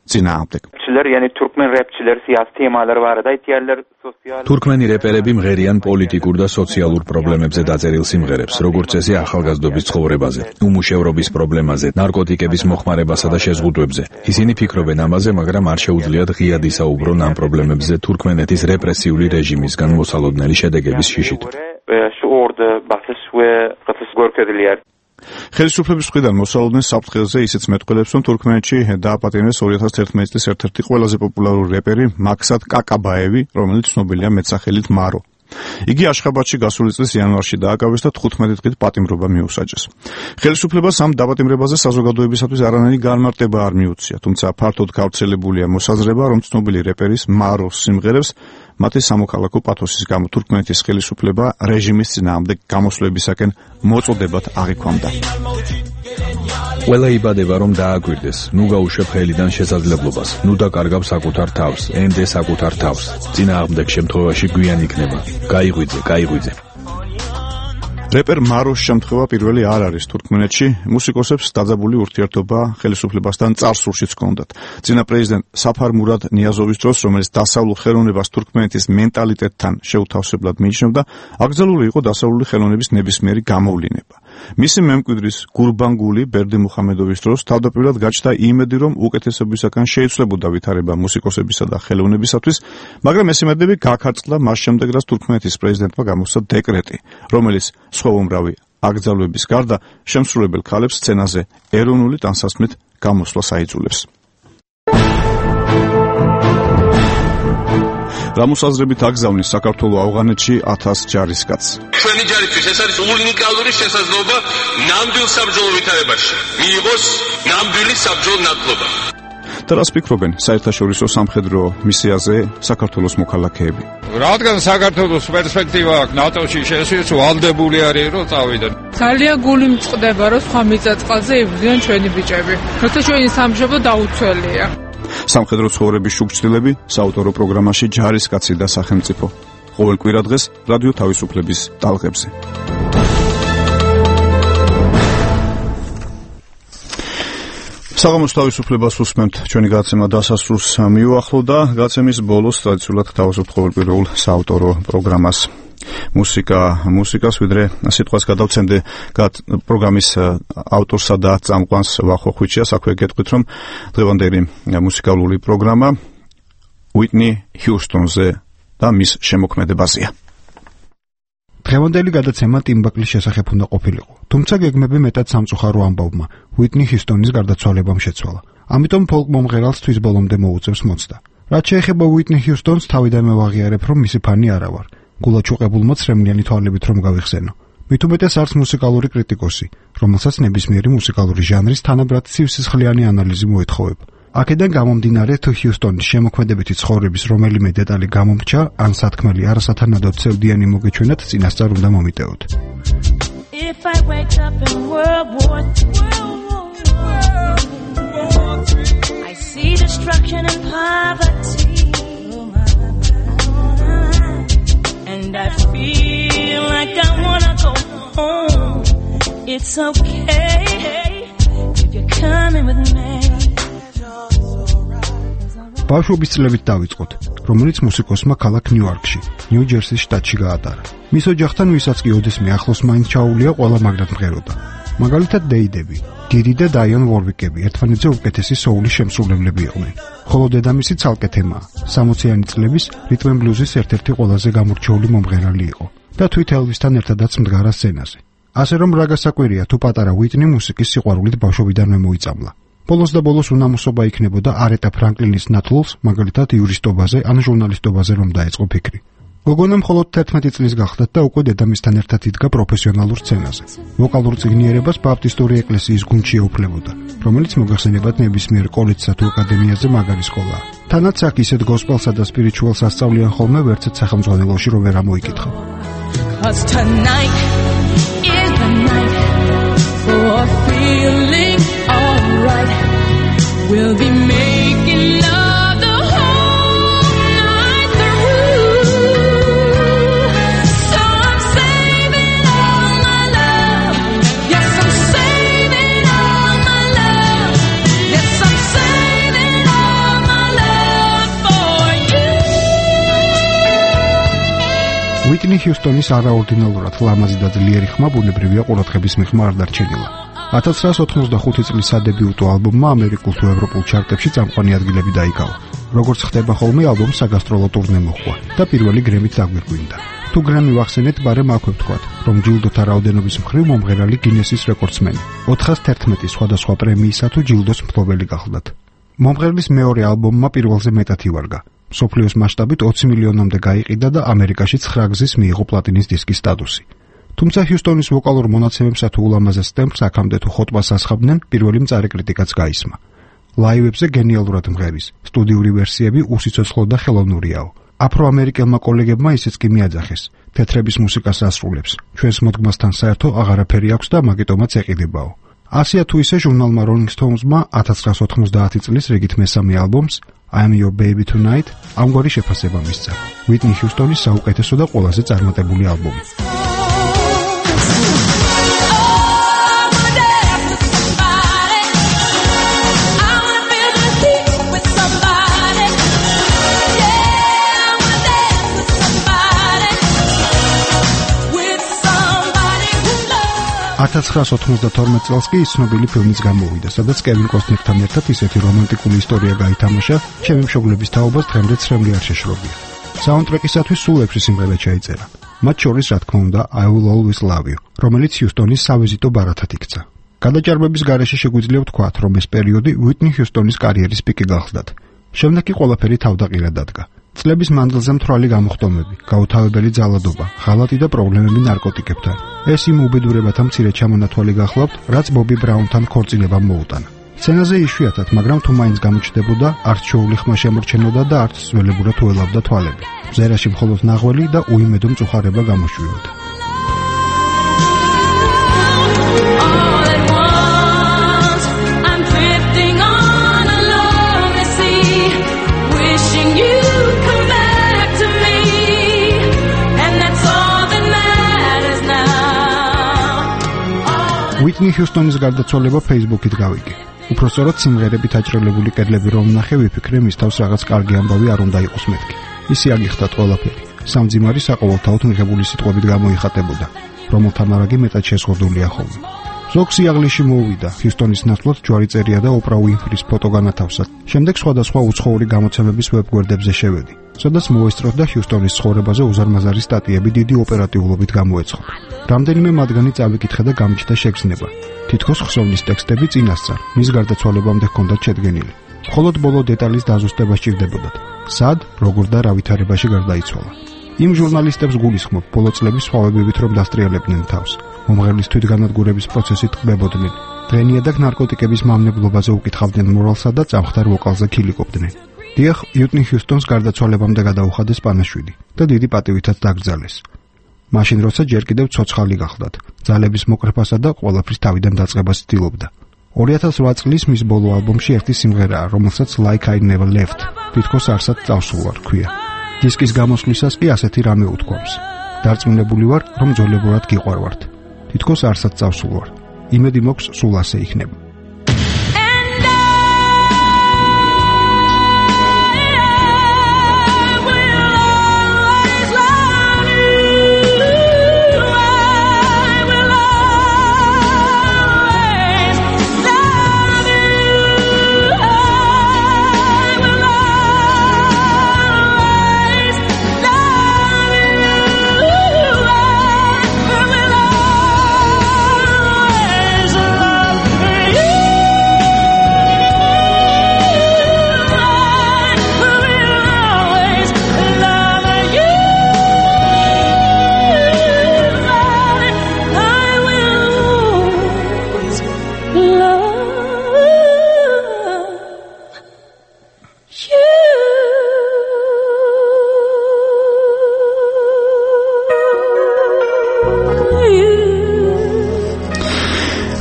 წინააღმდეგ. თურქმენი რეპერები მღერიან პოლიტიკურ და სოციალურ პრობლემებზე დაწერილ სიმღერებს, როგორც წესი ახალგაზრდობის ცხოვრებაზე, უმუშევრობის პრობლემაზე, ნარკოტიკების მოხმარებასა და შეზღუდვებზე. ისინი ფიქრობენ ამაზე, მაგრამ არ შეუძლიათ ღიად ისაუბრონ ამ პრობლემებზე თურქმენეთის რეპრესიული რეჟიმისგან მოსალოდნელი შედეგების შიშით. ხელისუფლების მხრიდან მოსალოდნელ საფრთხეზე ისიც მეტყველებს, რომ თურქმენეთში დააპატიმრეს ორი ათას თერთმეტი წლის ერთ-ერთი ყველაზე პოპულარული რეპერი მაქსად კაკაბაევი, რომელიც ცნობილია მეტსახელით მარო. იგი აშხაბადში გასული წლის იანვარში დააკავეს და თხუთმეტი დღით პატიმრობა მიუსაჯეს. ხელისუფლებას ამ დაპატიმრებაზე საზოგადოებისათვის არანაირი განმარტება არ მიუწია, თუმცა ფართოდ გავრცელებულია მოსაზრება, რომ ცნობილი რეპერის მაროს სიმღერებს მათი სამოქალაქო პათოსის გამო თურქმენეთის ხელისუფლება რეჟიმის წინააღმდეგ გამოსვლებისაკენ მოწოდებად აღიქვამდა. ყველა იბადება, რომ დააკვირდეს, ნუ გაუშვებ ხელიდან შესაძლებლობას, ნუ დაკარგავ საკუთარ თავს, ენდე საკუთარ თავს, წინააღმდეგ შემთხვევაში გვიან იქნება. გაიღვიძე, გაიღვიძე. რეპერ მაროს შემთხვევა პირველი არ არის თურქმენეთში, მუსიკოსებს დაძაბული ურთიერთობა ხელისუფლებასთან წარსულშიც ჰქონდათ. წინა პრეზიდენტ საფარ მურად ნიაზოვის დროს, რომელიც დასავლურ ხელოვნებას თურქმენეთის მენტალიტეტთან შეუთავსებლად მიიჩნევდა, აკრძალული იყო დასავლური ხელოვნების ნებისმიერი გამოვლინება. მისი მემკვიდრის გურბანგული ბერდიმუხამედოვის დროს თავდაპირველად გაჩნდა იმედი, რომ უკეთესობისაგან შეიცვლებოდა ვითარება მუსიკოსებისა და ხელოვნებისათვის, მაგრამ ეს იმედები გაქარწყლდა მას შემდეგ, რაც თურქმენეთის პრეზიდენტმა გამოსცა დეკრეტი, რომელიც სხვა უმრავი აკრძალვების გარდა შემსრულებელ ქალებს სცენაზე ეროვნული ტანსაცმლით გამოსვლას აიძულებს. რამოსაზრებით აკრძალვის საქართველოს ავღანეთში ათას ჯარისკაცს. ჩვენი ჯარისთვის ეს არის უნიკალური შესაძლებლობა ნამდვილ საბრძოლო ვითარებაში მიიღოს ნამდვილი საბრძოლო ნათლობა. და რას ფიქრობენ საერთაშორისო სამხედრო მისიაზე საქართველოს მოქალაქეები? რადგან საქართველოს პერსპექტივა აქვს ნატოში შესვლის, ვალდებული არის რომ წავიდნენ. ძალიან გული მწყდება რომ სხვა მიწაწყალზე იბრძვიან ჩვენი ბიჭები. როცა ჩვენი სამშობლო დაუცველია. სამხედრო ცხოვრების შუქჩილები საავტორო პროგრამაში ჯარისკაცი და სახელმწიფო. ყოველ კვირა დღეს რადიო თავისუფლების ტალღებზე. საღამოს თავისუფლებას უსმენთ, ჩვენი გადაცემა დასასრულს მიუახლოვდა. გადაცემის ბოლოს ტრადიციულად გთავაზობთ ყოველკვირეულ საავტორო პროგრამას. მუსიკა, მუსიკას ვიდრე სიტყვას გადავცემდე პროგრამის ავტორსა და წამყვანს ვახო ხვიჩიას. აქვე გეტყვით, რომ დღევანდელი მუსიკალური პროგრამა უიტნი ჰიუსტონზე და მის შემოქმედებაზეა. დღევანდელი გადაცემა ტიმბაკლის შესახებ უნდა ყოფილიყო, თუმცა გეგმები მეტად სამწუხარო ამბავმა უიტნი ჰიუსტონის გარდაცვალებამ შეცვალა. ამიტომ ფოლკ მომღერალს თვის ბოლომდე მოუწევს მოცდა. რაც შეეხება უიტნი ჰიუსტონს, თავიდანვე ვაღიარებ, რომ მისი ფანი არა ვარ. გულაჩუყებულმა ცრემლიანი თვალებით რომ გავიხსენო. მით უმეტეს არც მუსიკალური კრიტიკოსი, რომელსაც ნებისმიერი მუსიკალური ჟანრის თანაბრად ცივსისხლიანი ანალიზი მოეთხოვება. აქედან გამომდინარე, თუ ჰიუსტონის შემოქმედებითი ცხოვრების რომელიმე დეტალი გამომრჩა, ან სათქმელი არასათანადოდ ცევდიანი მოგეჩვენათ, წინასწარ უნდა მომიტევოთ. If I wake up in World War Three, I see destruction and poverty, and I feel like I wanna go home. It's okay if you're coming with me. ბავშვობის წლებით დავიწყოთ, რომელიც მუსიკოსმა ქალაქ ნიუ-იორკში, ნიუ-ჯერსის შტატში გაატარა. მის ოჯახთან, ვისაც კი ოდესმე ახლოს მაინც ჩაუვლია, ყველა მაგრად მღეროდა. მაგალითად, დეიდები, დიდი და დაიონ ვორვიკები ერთმანეთზე უკეთესი სოულის შემსრულებლები იყვნენ. ხოლო დედამისი ცალკე თემაა, სამოციანი წლების რიტმ ბლუზის ერთ-ერთი ყველაზე გამორჩეული მომღერალი იყო და თვით ელვისთან ერთადაც მდგარა სცენაზე. ასე რომ რა გასაკვირია, თუ პატარა უიტნი მუსიკის სიყვარულით ბავშვობიდანვე მოიწამლა. ბოლოს და ბოლოს უნამოსობა იქნებოდა არეტა ფრანკლინის ნათლულს, მაგალითად იურისტობაზე ან ჟურნალისტობაზე რომ დაეწყო ფიქრი. გოგონა მხოლოდ თერთმეტი წლის გახლდათ და უკვე დედამისთან ერთად იდგა პროფესიონალურ სცენაზე. ვოკალურ წიგნიერებას ბაპტისტური ეკლესიის გუნდში ეუფლებოდა, რომელიც მოგახსენებათ ნებისმიერ კოლეჯსა თუ აკადემიაზე მაგარი სკოლაა. თანაც აქ ისეთ გოსპელსა და სპირიჩუალს ასწავლიან ხოლმე, ვერცეთ სახელმძღვანელოში რომ ვერ ამოიკითხა. Cause tonight is the night for feeling alright. We'll be making love the whole night through. So I'm saving all my love. Yes, I'm saving all my love. Yes, I'm saving all my love for you. უიტნი ჰიუსტონის არაორდინალურად ლამაზი და ძლიერი ხმა ბუნებრივია ყურადღების მიღმა არ დარჩენილა. ათას ცხრაას ოთხმოცდახუთი წლის სადებიუტო ალბომმა ამერიკულ თუ ევროპულ ჩარტებში წამყვანი ადგილები დაიკავა. როგორც ხდება ხოლმე, ალბომს საგასტროლო ტურნე მოჰყვა და პირველი გრემით დაგვირგვინდა. თუ გრემი ვახსენეთ, ბარემ აქვე ვთქვათ, რომ ჯილდოთა რაოდენობის მხრივ მომღერალი გინესის რეკორდსმენი. ოთხას თერთმეტი სხვადასხვა პრემიისა თუ ჯილდოს მფლობელი გახლდათ. მომღერლის მეორე ალბომმა პირველზე მეტად ივარგა. მსოფლიოს მასშტაბით ოცი მილიონამდე გაიყიდა და ამერიკაში ცხრა გზის მიიღო პლატინის დისკის სტატუსი. თუმცა ჰიუსტონის ვოკალურ მონაცემებსა თუ ულამაზეს ტემპს აქამდე თუ ხოტბას ასხამდნენ, პირველი მწარე კრიტიკაც გაისმა. ლაივებზე გენიალურად მღერის, სტუდიური ვერსიები უსიცოცხლო და ხელოვნურიაო. აფროამერიკელმა კოლეგებმა ისიც კი მიაძახეს, თეთრების მუსიკას ასრულებს, ჩვენს მოდგმასთან საერთო აღარაფერი აქვს და მაგიტომაც ეყიდებაო. ასია თუ ისე ჟურნალმა Rolling Stones-მა ათას ცხრაას ოთხმოცდაათი წლის რიგით მესამე ალბომს I'm Your Baby Tonight ამგვარი შეფასება მისცა. უიტნი ჰიუსტონის საუკეთესო და ყველაზე წარმატებული ალბომი. ათას ცხრაას ოთხმოცდათორმეტ წელს კი ის ცნობილი ფილმიც გამოვიდა, სადაც კევინ კოსტნერთან ერთად ისეთი რომანტიკული ისტორია გაითამაშა, ჩემი მშობლების თაობას დღემდე ცრემლი არ შეშრობია. საუნდტრეკისათვის სულ ექვსი სიმღერა ჩაიწერა. მათ შორის, რა თქმა უნდა, I Will Always Love You, რომელიც ჰიუსტონის სავიზიტო ბარათად იქცა. გადაჭარბების გარეშე შეგვიძლია ვთქვათ, რომ ეს პერიოდი უიტნი ჰიუსტონის კარიერის პიკი გახლდათ. შემდეგ კი ყველაფერი თავდაყირად დადგა. წლების მანძილზე მთვრალი გამოხდომები, გაუთავებელი ძალადობა, ღალატი და პრობლემები ნარკოტიკებთან. ეს იმ უბედურებათა მცირე ჩამონათვალი გახლავთ, რაც ბობი ბრაუნთან ქორწინებამ მოუტანა. სცენაზე იშვიათად, მაგრამ თუ მაინც გამოჩნდებოდა, არც შოული ხმა შემორჩენოდა და არც ძველებურად უელავდა თვალები. მზერაში მხოლოდ ნაღველი და უიმედო მწუხარება გამოშვიოდა. უიტნი ჰიუსტონის გარდაცვალება Facebook-ით გავიგე. უпростоრად სიმღერებით აჭრელებული კედლები რომ ნახე, ვიფიქრე, მის თავს რაღაც კარგი ამბავი არ უნდა იყოს მეთქი. ისი აგიხდათ ყველაფერი. სამძიმარი საყოველთაოდ მიღებული სიტყვებით გამოიხატებოდა, რომელთა მარაგი მეტად შეზღუდულია ხოლმე. ზოგ სიაღლეში მოუვიდა, ჰიუსტონის ნაცვლად ჯვარი წერია და ოპრა უინფრის ფოტო განათავსა. შემდეგ სხვადასხვა უცხოური გამოცემების ვებგვერდებზე შევედი, სადაც მოესწროთ და ჰიუსტონის ცხოვრებაზე უზარმაზარი სტატიები დიდი ოპერატიულობით გამოეცხო. რამდენიმე მათგანი წავიკითხე და გამჩნდა შეგრძნება. თითქოს ხსოვნის ტექსტები წინასწარ, მის გარდაცვალებამდე ჰქონდათ შედგენილი. მხოლოდ ბოლო დეტალის დაზუსტება სჭირდებოდათ. სად, როგორ და რა ვითარებაში გარდაიცვალა. იმ ჟურნალისტებს გულისხმობ ბოლო წლების სხვავებებით რომ დასტრიალებდნენ თავს. მომღერლის თვითგანადგურების პროცესი ტყბებოდნენ. დღენიაдаг ნარკოტიკების მავნებლობაზე უკითხავდნენ მორალსა და წამხდარ ვოკალზე ქილიკობდნენ. დიახ, უიტნი ჰიუსტონს გარდაცვალებამდე გადაუხადეს პანაშვიდი და დიდი პატივითაც დაკრძალეს. მაშინ როცა ჯერ კიდევ ცოცხალი გახლდათ, ძალების მოკრეფასა და ყველაფრის თავიდან დაწყებას ცდილობდა. ორი ათას ოთხ წლის მის ბოლო ალბომში ერთი სიმღერაა, რომელსაც Like I Never Left, თითქოს არსად წავსულ ვარ, ქვია. დისკის გამოსვლისას კი ასეთი რამე უთქვამს. დარწმუნებული ვარ, რომ ძოლებურად გიყვარვართ. თითქოს არსად წავსულ ვარ. იმედი მოქვს სულ ასე იქნება.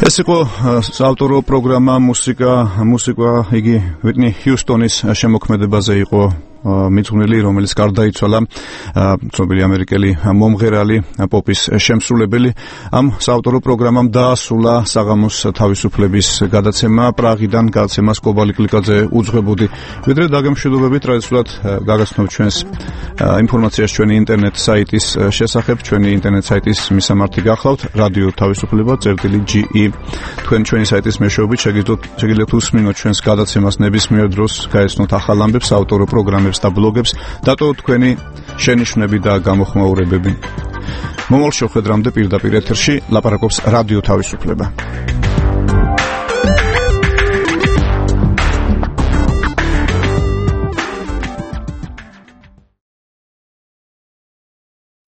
ეს იყო საავტორო პროგრამა მუსიკა მუსიკა იგი უიტნი ჰიუსტონის შემოქმედებაზე იყო მიძღვნილი, რომელიც გარდაიცვალა, ცნობილი ამერიკელი მომღერალი, პოპის შემსრულებელი. ამ საავტორო პროგრამამ დაასრულა საღამოს თავისუფლების გადაცემა პრაღიდან, გადაცემას კობალი კლიკაძე უძღვებოდი. ვიდრე დაგემშვიდობებით, ტრადიციულად გაგაცნობთ ჩვენს ინფორმაციას ჩვენი ინტერნეტ საიტის შესახებ, ჩვენი ინტერნეტ საიტის მისამართი გახლავთ რადიო თავისუფლება წერტილი ჯი ი. თქვენ ჩვენი საიტის მეშვეობით შეგიძლიათ უსმინოთ ჩვენს გადაცემას ნებისმიერ დროს, გაეცნოთ ახალ ამბებს, საავტორო პროგრამებს და ბლოგებს, დატოვოთ თქვენი შენიშვნები და გამოხმაურებები. მომავალ შეხვედრამდე პირდაპირ ეთერში ლაპარაკობს რადიო თავისუფლება.